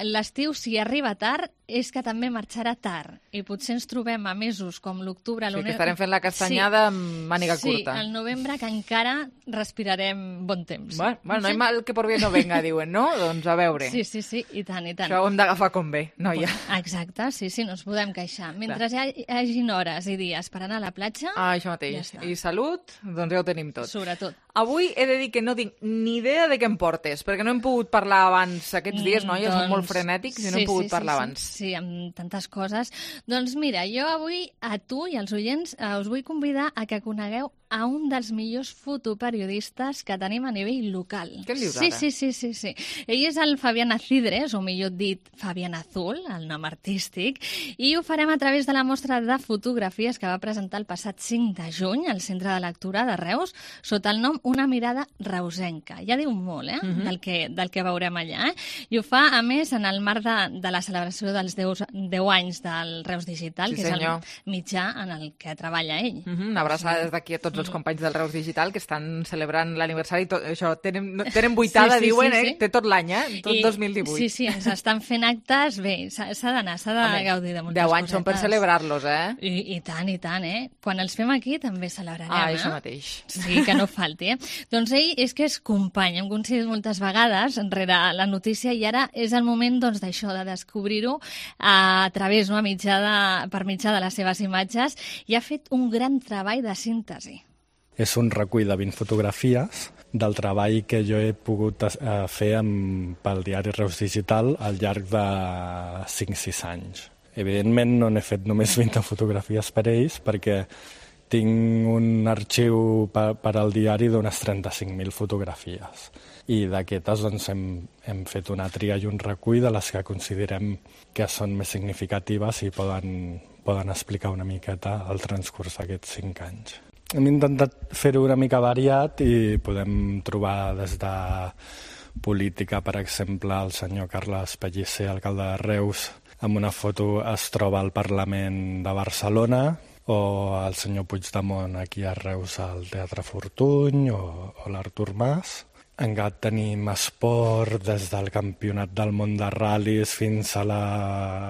l'estiu, si arriba tard, és que també marxarà tard. I potser ens trobem a mesos com l'octubre... Sí, que estarem fent la castanyada sí. amb màniga curta. Sí, al novembre, que encara respirarem bon temps. Bueno, bueno no hi mal que por bien no venga, diuen, no? Doncs a veure. Sí, sí, sí, i tant, i tant. Això ho hem d'agafar com bé, noia. Exacte, sí, sí, no ens podem queixar. Mentre hi hagin hores i dies per anar a la platja... Ah, això mateix. Ja I salut, doncs ja ho tenim tot. Sobretot. Avui he de dir que no tinc ni idea de què em portes, perquè no hem pogut parlar abans aquests dies, noies, doncs, són molt frenètics i no sí, hem pogut sí, parlar sí, abans. Sí, sí, amb tantes coses. Doncs mira, jo avui a tu i als oients eh, us vull convidar a que conegueu a un dels millors fotoperiodistes que tenim a nivell local. Què em dius sí, ara? Sí, sí, sí, sí. Ell és el Fabián Acidres, o millor dit, Fabián Azul, el nom artístic, i ho farem a través de la mostra de fotografies que va presentar el passat cinc de juny al Centre de Lectura de Reus, sota el nom Una mirada reusenca. Ja diu molt, eh?, uh-huh. del, que, del que veurem allà. Eh? I ho fa, a més, en el marc de, de la celebració dels deu anys del Reus Digital, sí, que senyor. és el mitjà en el que treballa ell. Uh-huh. Una abraçada des d'aquí a tots els companys del Reus Digital que estan celebrant l'aniversari. Això, tenen, tenen vuitada, sí, sí, diuen, sí, sí. eh? Té tot l'any, eh? Tot I, dos mil divuit. Sí, sí, ens estan fent actes. Bé, s'ha d'anar, s'ha de Home, gaudir de moltes deu anys són per celebrar-los, eh? I, I tant, i tant, eh? Quan els fem aquí també celebrarem, ah, eh? això mateix. Sí, que no falti, eh? Doncs ell és que és company, hem coincidit moltes vegades enrere la notícia i ara és el moment, doncs, d'això, de descobrir-ho a través, no?, a mitjà de, per mitjà de les seves imatges, i ha fet un gran treball de síntesi. És un recull de vint fotografies del treball que jo he pogut fer amb, pel diari Reus Digital al llarg de cinc o sis anys. Evidentment no n'he fet només vint fotografies per ells perquè tinc un arxiu per, per al diari d'unes trenta-cinc mil fotografies. I d'aquestes doncs, hem, hem fet una tria i un recull de les que considerem que són més significatives i poden, poden explicar una miqueta el transcurs d'aquests cinc anys. Hem intentat fer-ho una mica variat i podem trobar des de política, per exemple, el senyor Carles Pellicer, alcalde de Reus, amb una foto es troba al Parlament de Barcelona, o el senyor Puigdemont aquí a Reus al Teatre Fortuny, o, o l'Artur Mas. Encara tenim esport des del campionat del món de ral·lis fins a la,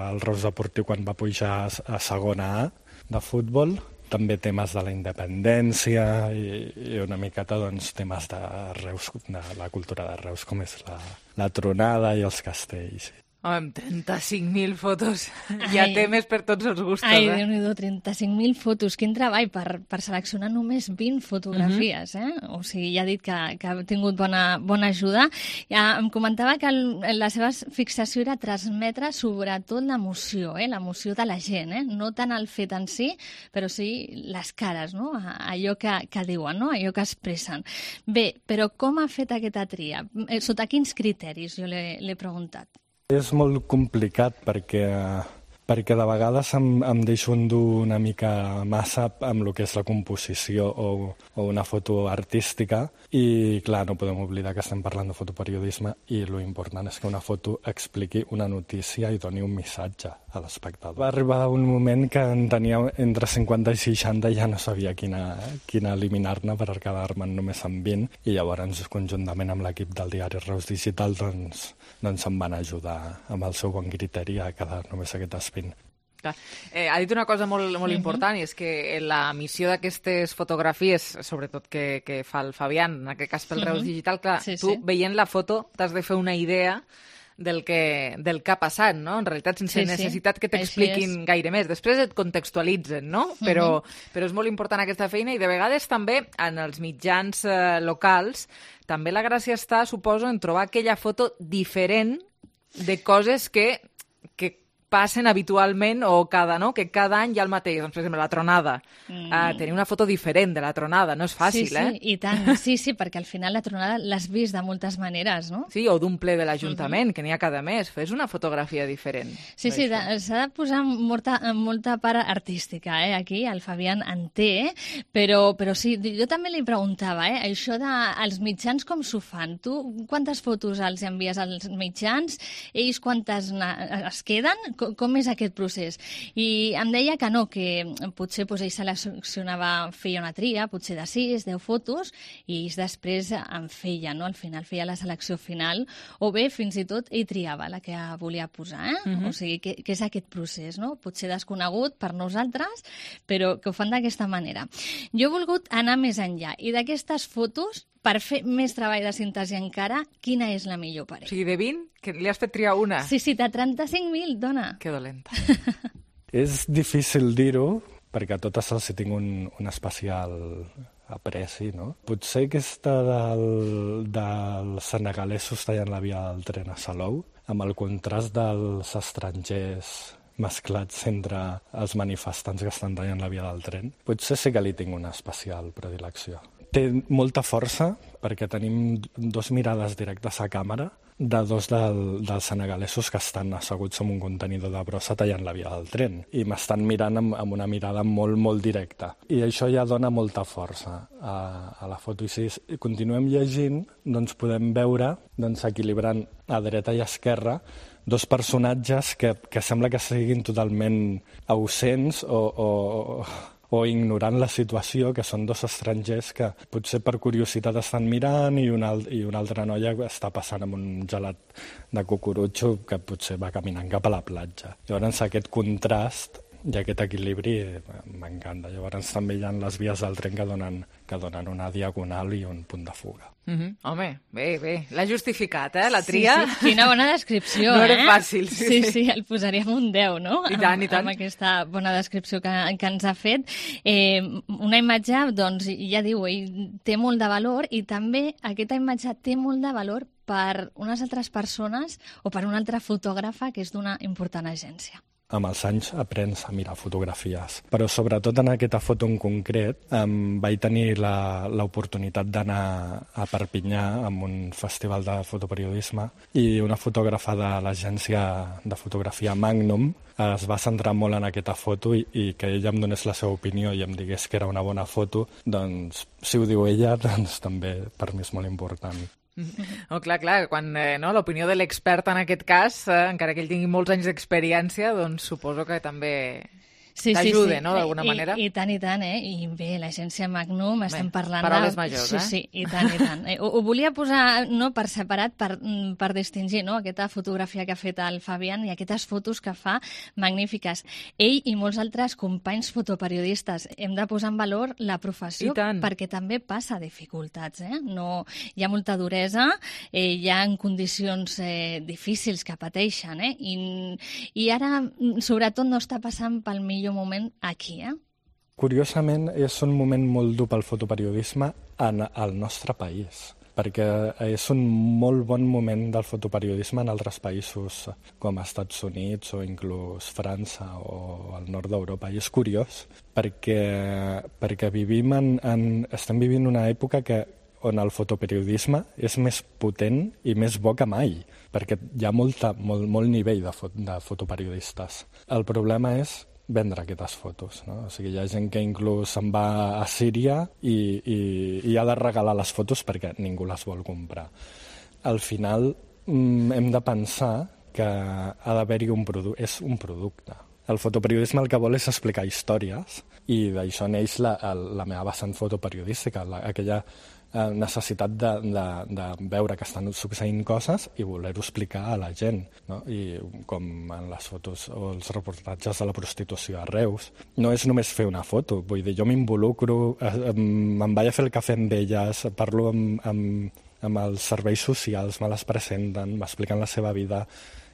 al Reus Deportiu quan va pujar a, a segona A de futbol. També temes de la independència i, i una miqueta doncs, temes de Reus, de la cultura de Reus, com és la, la tronada i els castells. Home, amb trenta-cinc mil fotos hi ha temes per tots els gustos. Ai, eh? Déu-n'hi-do, trenta-cinc mil fotos. Quin treball per, per seleccionar només vint fotografies, uh-huh. eh? O sigui, ja ha dit que, que ha tingut bona, bona ajuda. Ja em comentava que el, la seva fixació era transmetre sobretot l'emoció, eh? L'emoció de la gent, eh? No tant el fet en si, però sí les cares, no? Allò que, que diuen, no? Allò que expressen. Bé, però com ha fet aquesta tria? Sota quins criteris, jo l'he preguntat? És molt complicat perquè, perquè de vegades em, em deixo endur una mica massa amb el que és la composició o, o una foto artística i, clar, no podem oblidar que estem parlant de fotoperiodisme i lo important és que una foto expliqui una notícia i doni un missatge a l'espectador. Va arribar un moment que en tenia entre cinquanta i seixanta i ja no sabia quina, quina eliminar-ne per quedar-me'n només amb vint i llavors conjuntament amb l'equip del diari Reus Digital doncs, doncs em van ajudar amb el seu bon criteri a quedar només aquestes vint. Clar. Eh, ha dit una cosa molt, molt uh-huh. important i és que la missió d'aquestes fotografies, sobretot que, que fa el Fabián, en aquest cas pel uh-huh. Reus Digital, clar, sí, tu sí. veient la foto t'has de fer una idea del que, del que ha passat, no? En realitat, sense sí, necessitat sí. que t'expliquin gaire més. Després et contextualitzen, no? Uh-huh. Però, però és molt important aquesta feina i de vegades també en els mitjans eh, locals també la gràcia està, suposo, en trobar aquella foto diferent de coses que, que passen habitualment o cada, no? Que cada any hi ha el mateix. Doncs, per exemple, la tronada. Mm. Uh, tenir una foto diferent de la tronada no és fàcil, sí, sí, eh? I tant. Sí, sí, perquè al final la tronada l'has vist de moltes maneres, no? Sí, o d'un ple de l'Ajuntament, mm-hmm. que n'hi ha cada mes. Fes una fotografia diferent. Sí, sí, s'ha de posar molta, molta part artística, eh? Aquí el Fabián en té, però, però sí, jo també li preguntava, eh? Això dels mitjans com s'ho fan? Tu quantes fotos els envies als mitjans? Ells quantes es queden? Com és aquest procés? I em deia que no, que potser doncs, ell seleccionava, feia una tria, potser de sis, deu fotos, i ells després en feia, no? Al final feia la selecció final, o bé, fins i tot, ell triava la que volia posar, eh? Uh-huh. O sigui, que, que és aquest procés, no? Potser desconegut per nosaltres, però que ho fan d'aquesta manera. Jo he volgut anar més enllà, i d'aquestes fotos, per fer més treball de síntesi encara, quina és la millor per ell? O sigui, de vint, que li has fet triar una. Sí, sí, de trenta-cinc mil, dona. Que dolenta. És difícil dir-ho, perquè a totes els hi tinc un, un especial apreci, no? Potser aquesta del, dels senegalesos tallant la via del tren a Salou, amb el contrast dels estrangers mesclats entre els manifestants que estan tallant la via del tren, potser sí que li tinc una especial predilecció. Té molta força perquè tenim dos mirades directes a càmera de dos del, dels senegalesos que estan asseguts en un contenidor de brossa tallant la via del tren i m'estan mirant amb, amb una mirada molt, molt directa. I això ja dona molta força a, a la foto. I si continuem llegint, doncs podem veure, doncs, equilibrant a dreta i a esquerra, dos personatges que, que sembla que siguin totalment ausents o... o o ignorant la situació, que són dos estrangers que potser per curiositat estan mirant i una, i una altra noia està passant amb un gelat de cucurutxo que potser va caminant cap a la platja. Llavors aquest contrast i aquest equilibri m'encanta. Llavors també hi ha les vies del tren que donen, que donen una diagonal i un punt de fuga. Mm-hmm. Home, bé, bé. L'ha justificat, eh, la tria. Sí, sí. Quina bona descripció, no eh? No era fàcil. Sí, sí, sí, el posaríem un deu, no? I tant, i tant. Amb aquesta bona descripció que, que ens ha fet. Eh, una imatge, doncs, ja diu, ell té molt de valor i també aquesta imatge té molt de valor per unes altres persones o per una altra fotògrafa que és d'una important agència. Amb els anys aprens a mirar fotografies, però sobretot en aquesta foto en concret em vaig tenir l'oportunitat d'anar a Perpinyà amb un festival de fotoperiodisme i una fotògrafa de l'agència de fotografia Magnum es va centrar molt en aquesta foto i, i que ella em donés la seva opinió i em digués que era una bona foto, doncs si ho diu ella, doncs també per mi és molt important. Oh, clar, clar, quan eh, no, l'opinió de l'expert en aquest cas, eh, encara que ell tingui molts anys d'experiència, doncs suposo que també sí, t'ajuda, sí, sí. no?, d'alguna I, manera. I, I tant, i tant, eh? I bé, l'agència Magnum, bé, estem parlant paraules de... majors, sí, eh? Sí, i tant, i tant. Eh, ho, ho volia posar no, per separat, per, per distingir no, aquesta fotografia que ha fet el Fabián i aquestes fotos que fa magnífiques. Ell i molts altres companys fotoperiodistes hem de posar en valor la professió perquè també passa dificultats, eh? No, hi ha molta duresa, eh, hi ha condicions eh, difícils que pateixen, eh? I, i ara, sobretot, no està passant pel millor moment aquí, eh? Curiosament, és un moment molt dur pel fotoperiodisme en el nostre país, perquè és un molt bon moment del fotoperiodisme en altres països, com els Estats Units o inclús França o el nord d'Europa. I és curiós, perquè, perquè vivim en, en, estem vivint una època que on el fotoperiodisme és més potent i més bo que mai, perquè hi ha molta, molt, molt nivell de, fot, de fotoperiodistes. El problema és vendre aquestes fotos, no? O sigui, hi ha gent que inclús se'n va a Síria i, i, i ha de regalar les fotos perquè ningú les vol comprar. Al final mm, hem de pensar que ha d'haver-hi un producte, és un producte. El fotoperiodisme el que vol és explicar històries i d'això neix la, la meva vessant fotoperiodística, la, aquella necessitat de, de, de veure que estan succeint coses i voler-ho explicar a la gent, no? I com en les fotos o els reportatges de la prostitució a Reus. No és només fer una foto, vull dir, jo m'involucro, me'n vaig a fer el cafè amb elles, parlo amb, amb, amb els serveis socials, me les presenten, m'expliquen la seva vida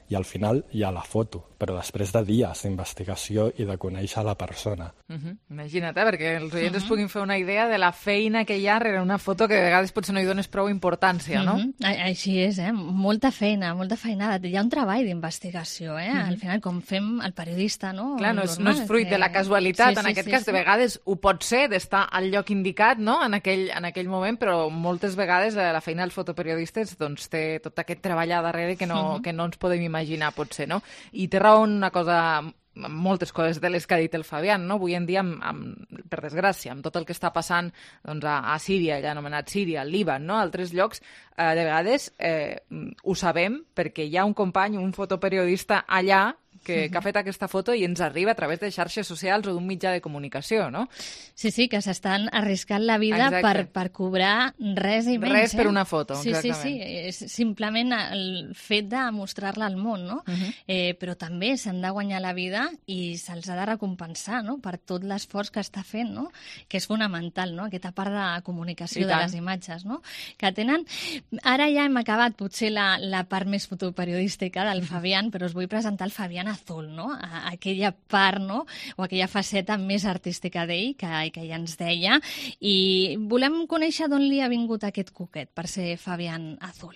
i al final hi ha la foto, però després de dies d'investigació i de conèixer la persona. Uh-huh. Imagina't, eh? Perquè els oients uh-huh. es puguin fer una idea de la feina que hi ha rere una foto que de vegades potser no hi dones prou importància, no? Uh-huh. Així és, eh? Molta feina, molta feinada. Hi ha un treball d'investigació, eh? Uh-huh. Al final, com fem el periodista, no? Clar, no és, no és fruit que... de la casualitat, sí, sí, en aquest sí, cas, sí. De vegades ho pot ser, d'estar al lloc indicat, no?, en aquell, en aquell moment, però moltes vegades la feina dels fotoperiodistes doncs, té tot aquest treball a darrere que no, uh-huh. que no ens podem imaginar, potser, no? I té raó una cosa, moltes coses de les que ha dit el Fabián, no? Avui en dia, amb, amb, per desgràcia, amb tot el que està passant doncs, a, a Síria, ja anomenat Síria, al Líban, no? A altres llocs, eh, de vegades eh, ho sabem perquè hi ha un company, un fotoperiodista allà que, que ha fet aquesta foto i ens arriba a través de xarxes socials o d'un mitjà de comunicació, no? Sí, sí, que s'estan arriscant la vida per, per cobrar res i menys. Res eh? per una foto, sí, exactament. Sí, sí, és simplement el fet de mostrar-la al món, no? Uh-huh. eh, però també s'han de guanyar la vida i se'ls ha de recompensar, no?, per tot l'esforç que està fent, no?, que és fonamental, no?, aquesta part de comunicació de les imatges, no?, que tenen... Ara ja hem acabat potser la, la part més fotoperiodística del Fabián, però us vull presentar el Fabián Azul, no?, a, aquella part, no?, o aquella faceta més artística d'ell, que, que ja ens deia, i volem conèixer d'on li ha vingut aquest coquet per ser Fabián Azul.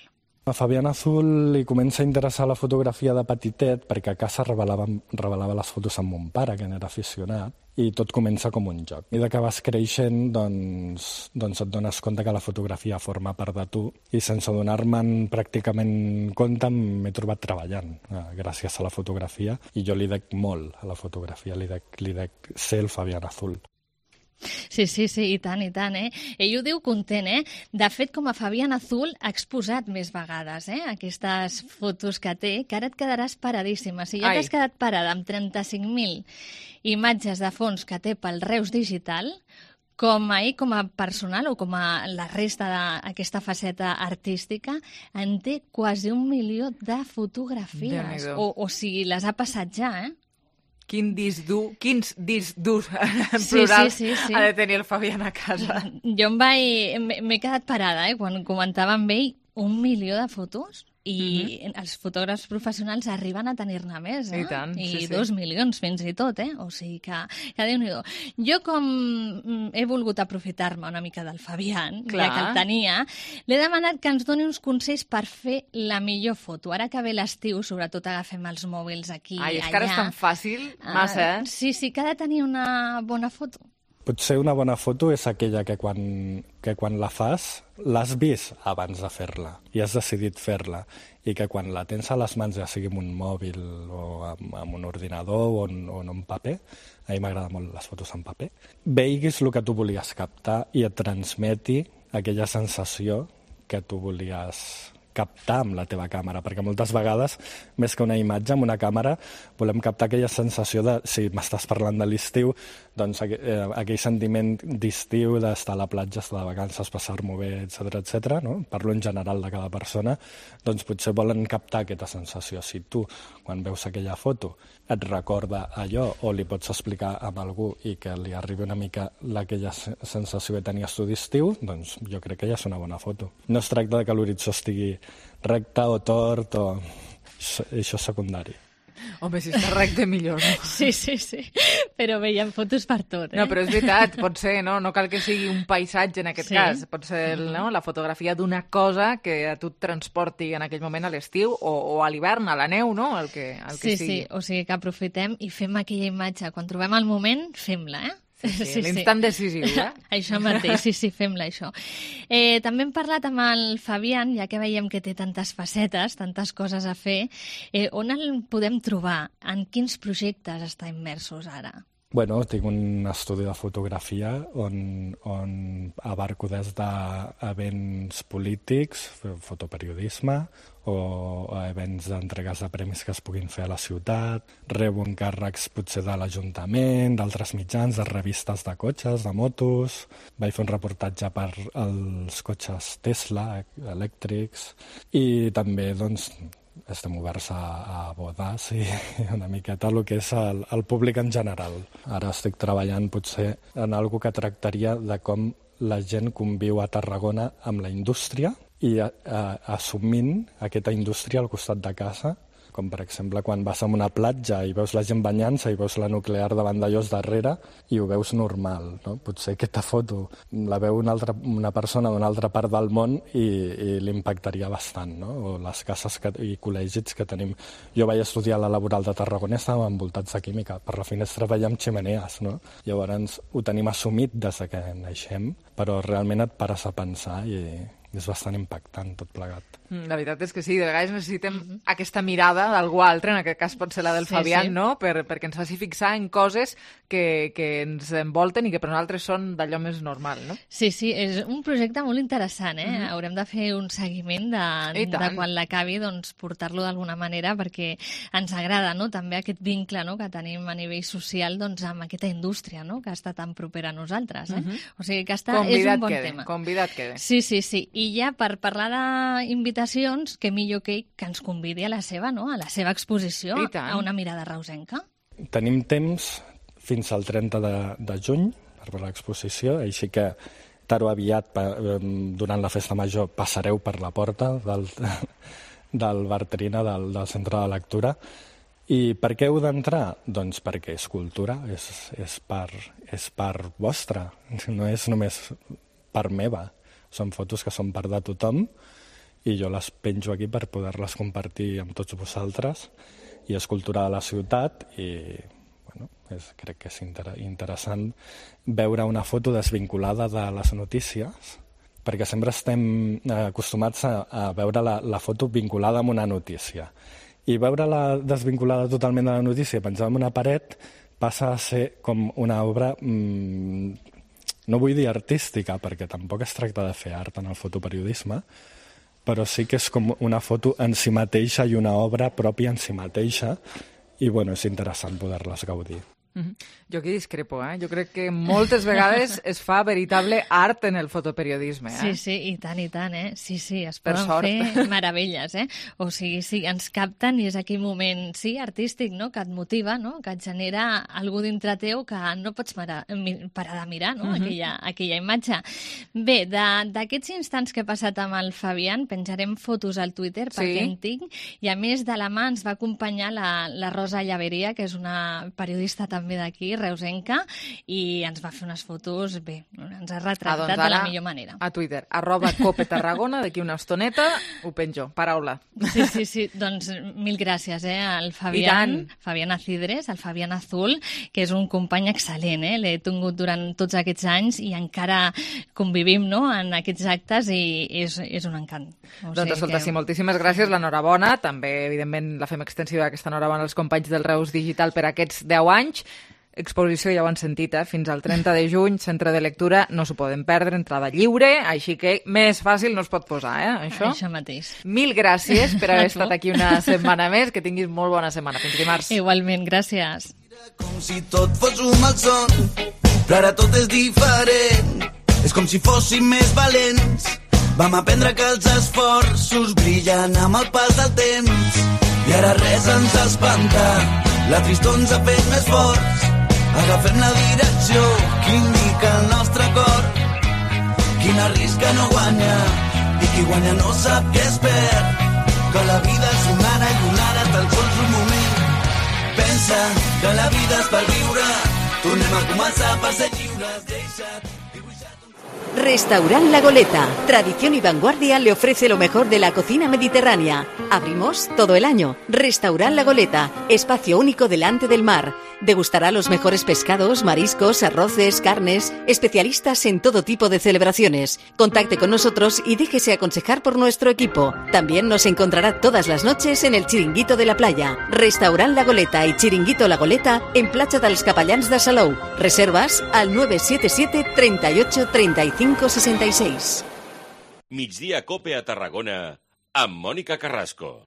A Fabián Azul li comença a interessar la fotografia de petitet perquè a casa revelava, revelava les fotos amb mon pare, que n'era aficionat, i tot comença com un joc. I de que vas creixent, doncs, doncs et dones compte que la fotografia forma part de tu i sense donar-me'n pràcticament compte m'he trobat treballant eh, gràcies a la fotografia i jo li dec molt a la fotografia, li dec, li dec ser el Fabián Azul. Sí, sí, sí, i tant, i tant, eh? Ell ho diu content, eh? De fet, com a Fabián Azul, ha exposat més vegades, eh? Aquestes fotos que té, que ara et quedaràs paradíssima. Si ja t'has quedat parada amb trenta-cinc mil imatges de fons que té pel Reus Digital, com a ell, com a personal o com a la resta d'aquesta faceta artística, en té quasi un milió de fotografies. O, o sigui, les ha passat ja, eh? Quin disc dur, quins discs durs en plural sí, sí, sí, sí. ha de tenir el Fabián a casa. Jo em vaig... m'he quedat parada, eh, quan comentava amb ell un milió de fotos i uh-huh. els fotògrafs professionals arriben a tenir-ne més, eh? I tant, I sí, sí. dos milions fins i tot, eh? O sigui que, que Déu-n'hi-do. Jo, com he volgut aprofitar-me una mica del Fabián, Clar. ja que el tenia, l'he demanat que ens doni uns consells per fer la millor foto. Ara que ve l'estiu, sobretot agafem els mòbils aquí i allà. Ai, és que ara és tan fàcil, massa, eh? Uh, sí, sí, que ha de tenir una bona foto. Potser una bona foto és aquella que quan, que quan la fas l'has vist abans de fer-la i has decidit fer-la i que quan la tens a les mans, ja sigui amb un mòbil o amb, amb un ordinador o en, o en un paper, a mi m'agrada molt les fotos en paper, veiguis el que tu volies captar i et transmeti aquella sensació que tu volies captar amb la teva càmera, perquè moltes vegades, més que una imatge, amb una càmera, volem captar aquella sensació de, si m'estàs parlant de l'estiu, doncs aqu eh, aquell sentiment d'estiu, d'estar a la platja, estar de vacances, passar-m'ho bé, etcètera, etcètera, no? Parlo en general de cada persona, doncs potser volen captar aquesta sensació. Si tu, quan veus aquella foto, et recorda allò o li pots explicar a algú i que li arribi una mica aquella sensació que tenies tu d'estiu, doncs jo crec que ja és una bona foto. No es tracta de que l'horitzó estigui recte o tort, o... això és secundari. Home, si està recte, millor, no? Sí, sí, sí. Però veiem fotos per tot, eh? No, però és veritat, pot ser, no? No cal que sigui un paisatge en aquest sí. cas. Pot ser no? la fotografia d'una cosa que a tu et transporti en aquell moment a l'estiu o, o a l'hivern, a la neu, no? El que, el que sí, sigui. Sí, o sigui que aprofitem i fem aquella imatge. Quan trobem el moment, fem-la, eh? Sí, sí, sí, l'instant decisiu, eh? Això mateix, sí, sí, fem-la, això. Eh, també hem parlat amb el Fabián, ja que veiem que té tantes facetes, tantes coses a fer, eh, on el podem trobar? En quins projectes està immersos ara? Bueno, tinc un estudi de fotografia on, on abarco des d'events polítics, fotoperiodisme, o events d'entregues de premis que es puguin fer a la ciutat, rebo encàrrecs potser de l'Ajuntament, d'altres mitjans, de revistes de cotxes, de motos, vaig fer un reportatge per als cotxes Tesla elèctrics i també, doncs, estem oberts a, a bodes i una miqueta el que és el, el públic en general. Ara estic treballant potser en algo que tractaria de com la gent conviu a Tarragona amb la indústria i a, a, assumint aquesta indústria al costat de casa com per exemple quan vas a una platja i veus la gent banyant-se i veus la nuclear davant d'allòs darrere i ho veus normal, no? Potser aquesta foto la veu una, altra, una persona d'una altra part del món i, i l'impactaria bastant, no? O les cases que, i col·legis que tenim. Jo vaig estudiar a la Laboral de Tarragona i estàvem envoltats de química. Per la finestra veiem xemeneies, no? Llavors ho tenim assumit des que naixem, però realment et pares a pensar i és bastant impactant tot plegat. La veritat és que sí, de vegades necessitem uh-huh. aquesta mirada d'algú altre, en aquest cas pot ser la del sí, Fabián, sí. no? Per, perquè ens faci fixar en coses que, que ens envolten i que per nosaltres són d'allò més normal, no? Sí, sí, és un projecte molt interessant, eh? Uh-huh. Haurem de fer un seguiment de, de quan l'acabi, doncs portar-lo d'alguna manera, perquè ens agrada, no?, també aquest vincle, no?, que tenim a nivell social, doncs, amb aquesta indústria, no?, que està tan propera a nosaltres, eh? Uh-huh. O sigui que està, és un bon quede, tema. Convidat quede. Sí, sí, sí. I ja per parlar d'invitacions, que millor que ell que ens convidi a la seva, no?, a la seva exposició, a una mirada reusenca. Tenim temps fins al trenta de, de juny per l'exposició, així que tard o aviat, durant la festa major, passareu per la porta del, del Bartrina, del, del centre de lectura. I per què heu d'entrar? Doncs perquè és cultura, és, és, part, és part vostra, no és només part meva. Són fotos que són part de tothom i jo les penjo aquí per poder-les compartir amb tots vosaltres i és cultura de la ciutat i bueno, és, crec que és inter interessant veure una foto desvinculada de les notícies perquè sempre estem acostumats a, a veure la, la foto vinculada amb una notícia i veure-la desvinculada totalment de la notícia penjada en una paret passa a ser com una obra mmm, no vull dir artística, perquè tampoc es tracta de fer art en el fotoperiodisme, però sí que és com una foto en si mateixa i una obra pròpia en si mateixa, i bueno, és interessant poder-les gaudir. Mm-hmm. Jo aquí discrepo, eh? Jo crec que moltes vegades es fa veritable art en el fotoperiodisme, eh? Sí, sí, i tant, i tant, eh? Sí, sí, es poden fer meravelles, eh? O sigui, sí, ens capten i és aquell moment, sí, artístic, no?, que et motiva, no?, que et genera algú dintre teu que no pots parar, parar de mirar, no?, uh-huh. aquella, aquella imatge. Bé, d'aquests instants que he passat amb el Fabián, penjarem fotos al Twitter perquè sí. en tinc, i a més de la mà ens va acompanyar la, la Rosa Llaveria, que és una periodista també d'aquí, reusenca, i ens va fer unes fotos, bé, ens ha retratat ah, doncs de la millor manera. A Twitter, arroba Cope Tarragona, d'aquí una estoneta, ho penjo, paraula. Sí, sí, sí, doncs mil gràcies, eh, al Fabián, Fabián Acidres, al Fabián Azul, que és un company excel·lent, eh, l'he tingut durant tots aquests anys i encara convivim, no?, en aquests actes i és, és un encant. O doncs escolta, que... sí, moltíssimes gràcies, l'enhorabona, també, evidentment, la fem extensiva aquesta enhorabona als companys del Reus Digital per aquests deu anys. Exposició, ja ho han sentit, eh? Fins al trenta de juny, centre de lectura, no s'ho poden perdre, entrada lliure, així que més fàcil no es pot posar, eh, això? Això mateix. Mil gràcies per haver estat aquí una setmana més, que tinguis molt bona setmana. Fins dimarts. Igualment, gràcies. Com si tot fos un malson, però ara tot és diferent. És com si fóssim més valents. Vam aprendre que els esforços brillen amb el pas del temps. I ara res ens espanta, la tristor ens ha fet més forts. Agafem la direcció que indica el nostre cor. Qui n'arrisca no guanya i qui guanya no sap què es perd. Que la vida és una ara i una ara tan sols un moment. Pensa que la vida és per viure. Tornem a començar per ser lliures. Deixa't. Restaurant La Goleta, tradición y vanguardia, le ofrece lo mejor de la cocina mediterránea. Abrimos todo el año. Restaurant La Goleta, espacio único delante del mar. Degustará los mejores pescados, mariscos, arroces, carnes, especialistas en todo tipo de celebraciones. Contacte con nosotros y déjese aconsejar por nuestro equipo. También nos encontrará todas las noches en el Chiringuito de la Playa. Restaurant La Goleta y Chiringuito La Goleta en Platja dels Capellans de Salou. Reservas al nueve siete siete, treinta y ocho, treinta y cinco, sesenta y seis. Migdia Cope a Tarragona amb Mònica Carrasco.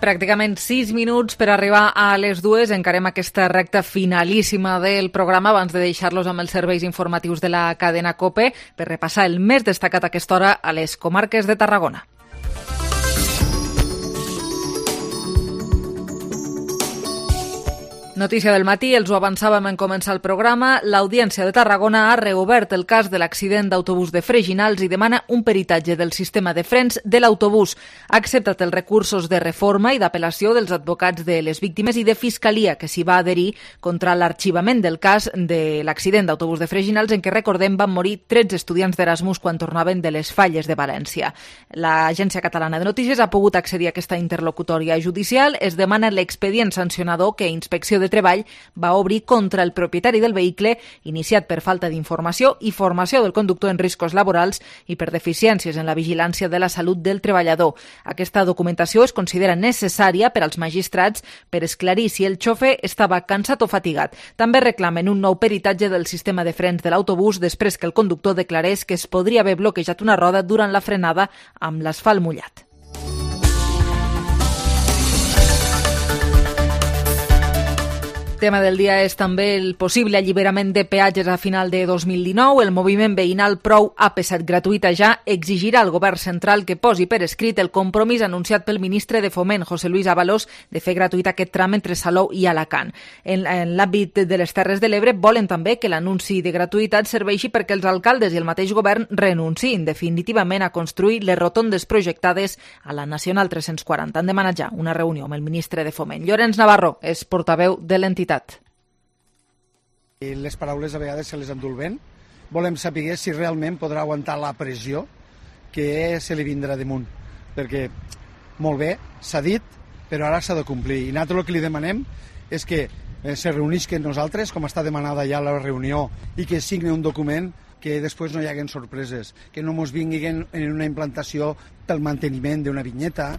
Pràcticament sis minuts per arribar a les dues. Encarem aquesta recta finalíssima del programa abans de deixar-los amb els serveis informatius de la cadena COPE per repassar el més destacat a aquesta hora a les comarques de Tarragona. Notícia del matí, els ho avançàvem en començar el programa. L'Audiència de Tarragona ha reobert el cas de l'accident d'autobús de Freginals i demana un peritatge del sistema de frens de l'autobús. Ha acceptat els recursos de reforma i d'apel·lació dels advocats de les víctimes i de Fiscalia, que s'hi va adherir contra l'arxivament del cas de l'accident d'autobús de Freginals, en què, recordem, van morir tretze estudiants d'Erasmus quan tornaven de les Falles de València. L'Agència Catalana de Notícies ha pogut accedir a aquesta interlocutòria judicial. Es demana l'expedient sancionador que Inspecció de Treball va obrir contra el propietari del vehicle, iniciat per falta d'informació i formació del conductor en riscos laborals i per deficiències en la vigilància de la salut del treballador. Aquesta documentació es considera necessària per als magistrats per esclarir si el xofer estava cansat o fatigat. També reclamen un nou peritatge del sistema de frens de l'autobús després que el conductor declarés que es podria haver bloquejat una roda durant la frenada amb l'asfalt mullat. Tema del dia és també el possible alliberament de peatges a final de dos mil dinou. El moviment veïnal Prou A P set gratuïta ja exigirà al govern central que posi per escrit el compromís anunciat pel ministre de Foment, José Luis Ábalos, de fer gratuït aquest tram entre Salou i Alacant. En, en l'àmbit de les Terres de l'Ebre volen també que l'anunci de gratuïtat serveixi perquè els alcaldes i el mateix govern renunciïn definitivament a construir les rotondes projectades a la Nacional tres-cents quaranta. Han demanat ja una reunió amb el ministre de Foment. Llorenç Navarro és portaveu de l'entitat. Les paraules a vegades se les endú el vent. Volem saber si realment podrà aguantar la pressió que se li vindrà damunt. Perquè, molt bé, s'ha dit, però ara s'ha de complir. I nosaltres el que li demanem és que se reunisquen nosaltres, com està demanada ja la reunió, i que signe un document que després no hi haguen sorpreses, que no ens vinguin en una implantació pel manteniment d'una vinyeta.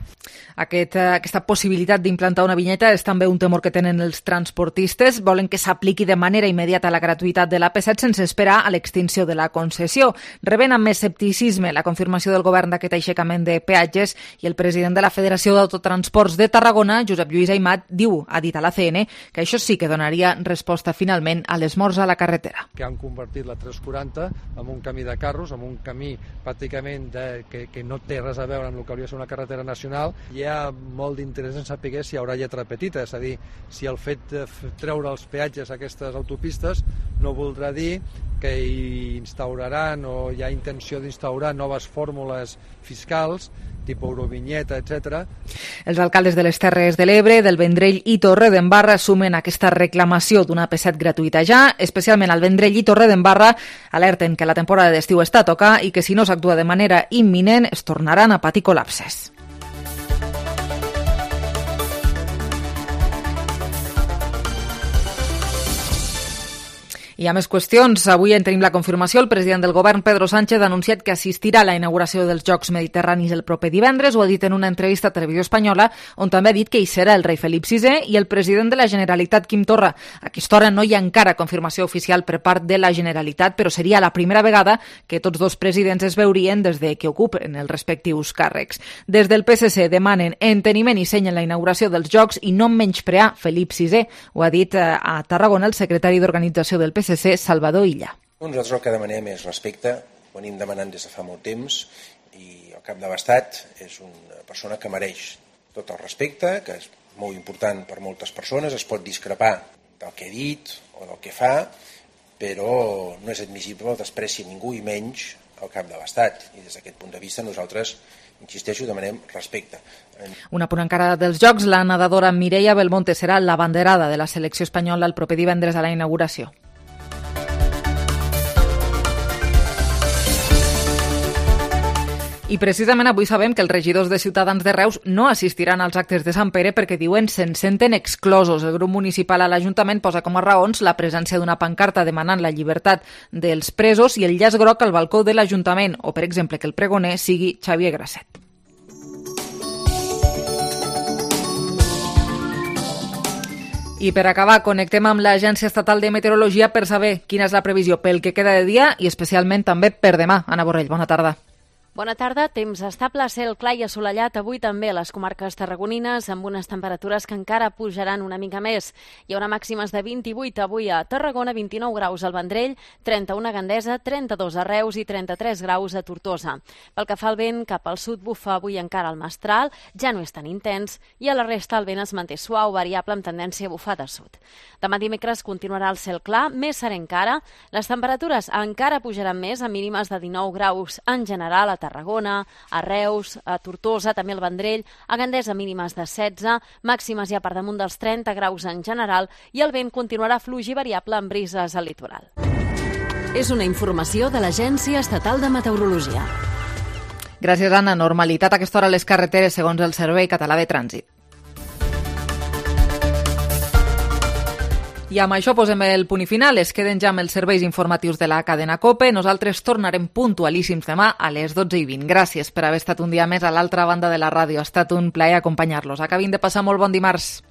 Aquest, aquesta possibilitat d'implantar una vinyeta és també un temor que tenen els transportistes. Volen que s'apliqui de manera immediata la gratuïtat de l'A P set sense esperar a l'extinció de la concessió. Reben amb escepticisme la confirmació del govern d'aquest aixecament de peatges i el president de la Federació d'Autotransports de Tarragona, Josep Lluís Aimat, diu, ha dit a l'A C N, que això sí que donaria resposta finalment a les morts a la carretera. Que han convertit la tres quaranta en un camí de carros, en un camí pràcticament de, que, que no té res a veure amb el que hauria de ser una carretera nacional. Hi ha molt d'interès en saber si hi haurà lletra petita, és a dir, si el fet de treure els peatges a aquestes autopistes no voldrà dir que hi instauraran o hi ha intenció d'instaurar noves fórmules fiscals, tipus Eurovinyeta, etcètera. Els alcaldes de les Terres de l'Ebre, del Vendrell i Torredembarra assumen aquesta reclamació d'una A P set gratuïta ja, especialment al Vendrell i Torredembarra alerten que la temporada d'estiu està a tocar i que si no s'actua de manera imminent es tornaran a patir col·lapses. Hi ha més qüestions. Avui en tenim la confirmació. El president del govern, Pedro Sánchez, ha anunciat que assistirà a la inauguració dels Jocs Mediterranis el proper divendres. Ho ha dit en una entrevista a Televisió Espanyola, on també ha dit que hi serà el rei Felip sisè i el president de la Generalitat, Quim Torra. A aquesta hora no hi ha encara confirmació oficial per part de la Generalitat, però seria la primera vegada que tots dos presidents es veurien des de que ocupen els respectius càrrecs. Des del P S C demanen enteniment i seny en la inauguració dels Jocs i no menysprear Felip sisè. Ho ha dit a Tarragona el secretari d'Organització del P S C, Salvador Illa. Nosaltres el que demanem és respecte, ho anem demanant des de fa molt temps i el cap de l'Estat és una persona que mereix tot el respecte, que és molt important per moltes persones, es pot discrepar del que ha dit o del que fa, però no és admissible el despreci a ningú i menys al cap de l'Estat. I des d'aquest punt de vista nosaltres, insisteixo, demanem respecte. Un apunt encara dels Jocs, la nedadora Mireia Belmonte serà l'abanderada de la selecció espanyola el proper divendres a la inauguració. I precisament avui sabem que els regidors de Ciutadans de Reus no assistiran als actes de Sant Pere perquè diuen se'n senten exclosos. El grup municipal a l'Ajuntament posa com a raons la presència d'una pancarta demanant la llibertat dels presos i el llaç groc al balcó de l'Ajuntament, o per exemple que el pregoner sigui Xavier Grasset. I per acabar, connectem amb l'Agència Estatal de Meteorologia per saber quina és la previsió pel que queda de dia i especialment també per demà. Anna Borrell, bona tarda. Bona tarda, temps estable, cel clar i assolellat avui també a les comarques tarragonines amb unes temperatures que encara pujaran una mica més. Hi haurà màximes de vint-i-vuit avui a Tarragona, vint-i-nou graus al Vendrell, trenta-u a Gandesa, trenta-dos a Reus i trenta-tres graus a Tortosa. Pel que fa al vent, cap al sud bufa avui encara el mestral, ja no és tan intens i a la resta el vent es manté suau, variable amb tendència a bufar de sud. Demà dimecres continuarà el cel clar, més serè encara. Les temperatures encara pujaran més, a mínimes de dinou graus en general a Tarragona, a Reus, a Tortosa, també al Vendrell, a Gandesa mínimes de setze, màximes ja per damunt dels trenta graus en general i el vent continuarà fluix i variable amb brises al litoral. És una informació de l'Agència Estatal de Meteorologia. Gràcies, Anna. Normalitat a aquesta hora a les carreteres segons el Servei Català de Trànsit. I amb això posem el punt i final. Es queden ja amb els serveis informatius de la cadena COPE. Nosaltres tornarem puntualíssims demà a les dotze i vint. Gràcies per haver estat un dia més a l'altra banda de la ràdio. Ha estat un plaer acompanyar-los. Acabin de passar molt bon dimarts.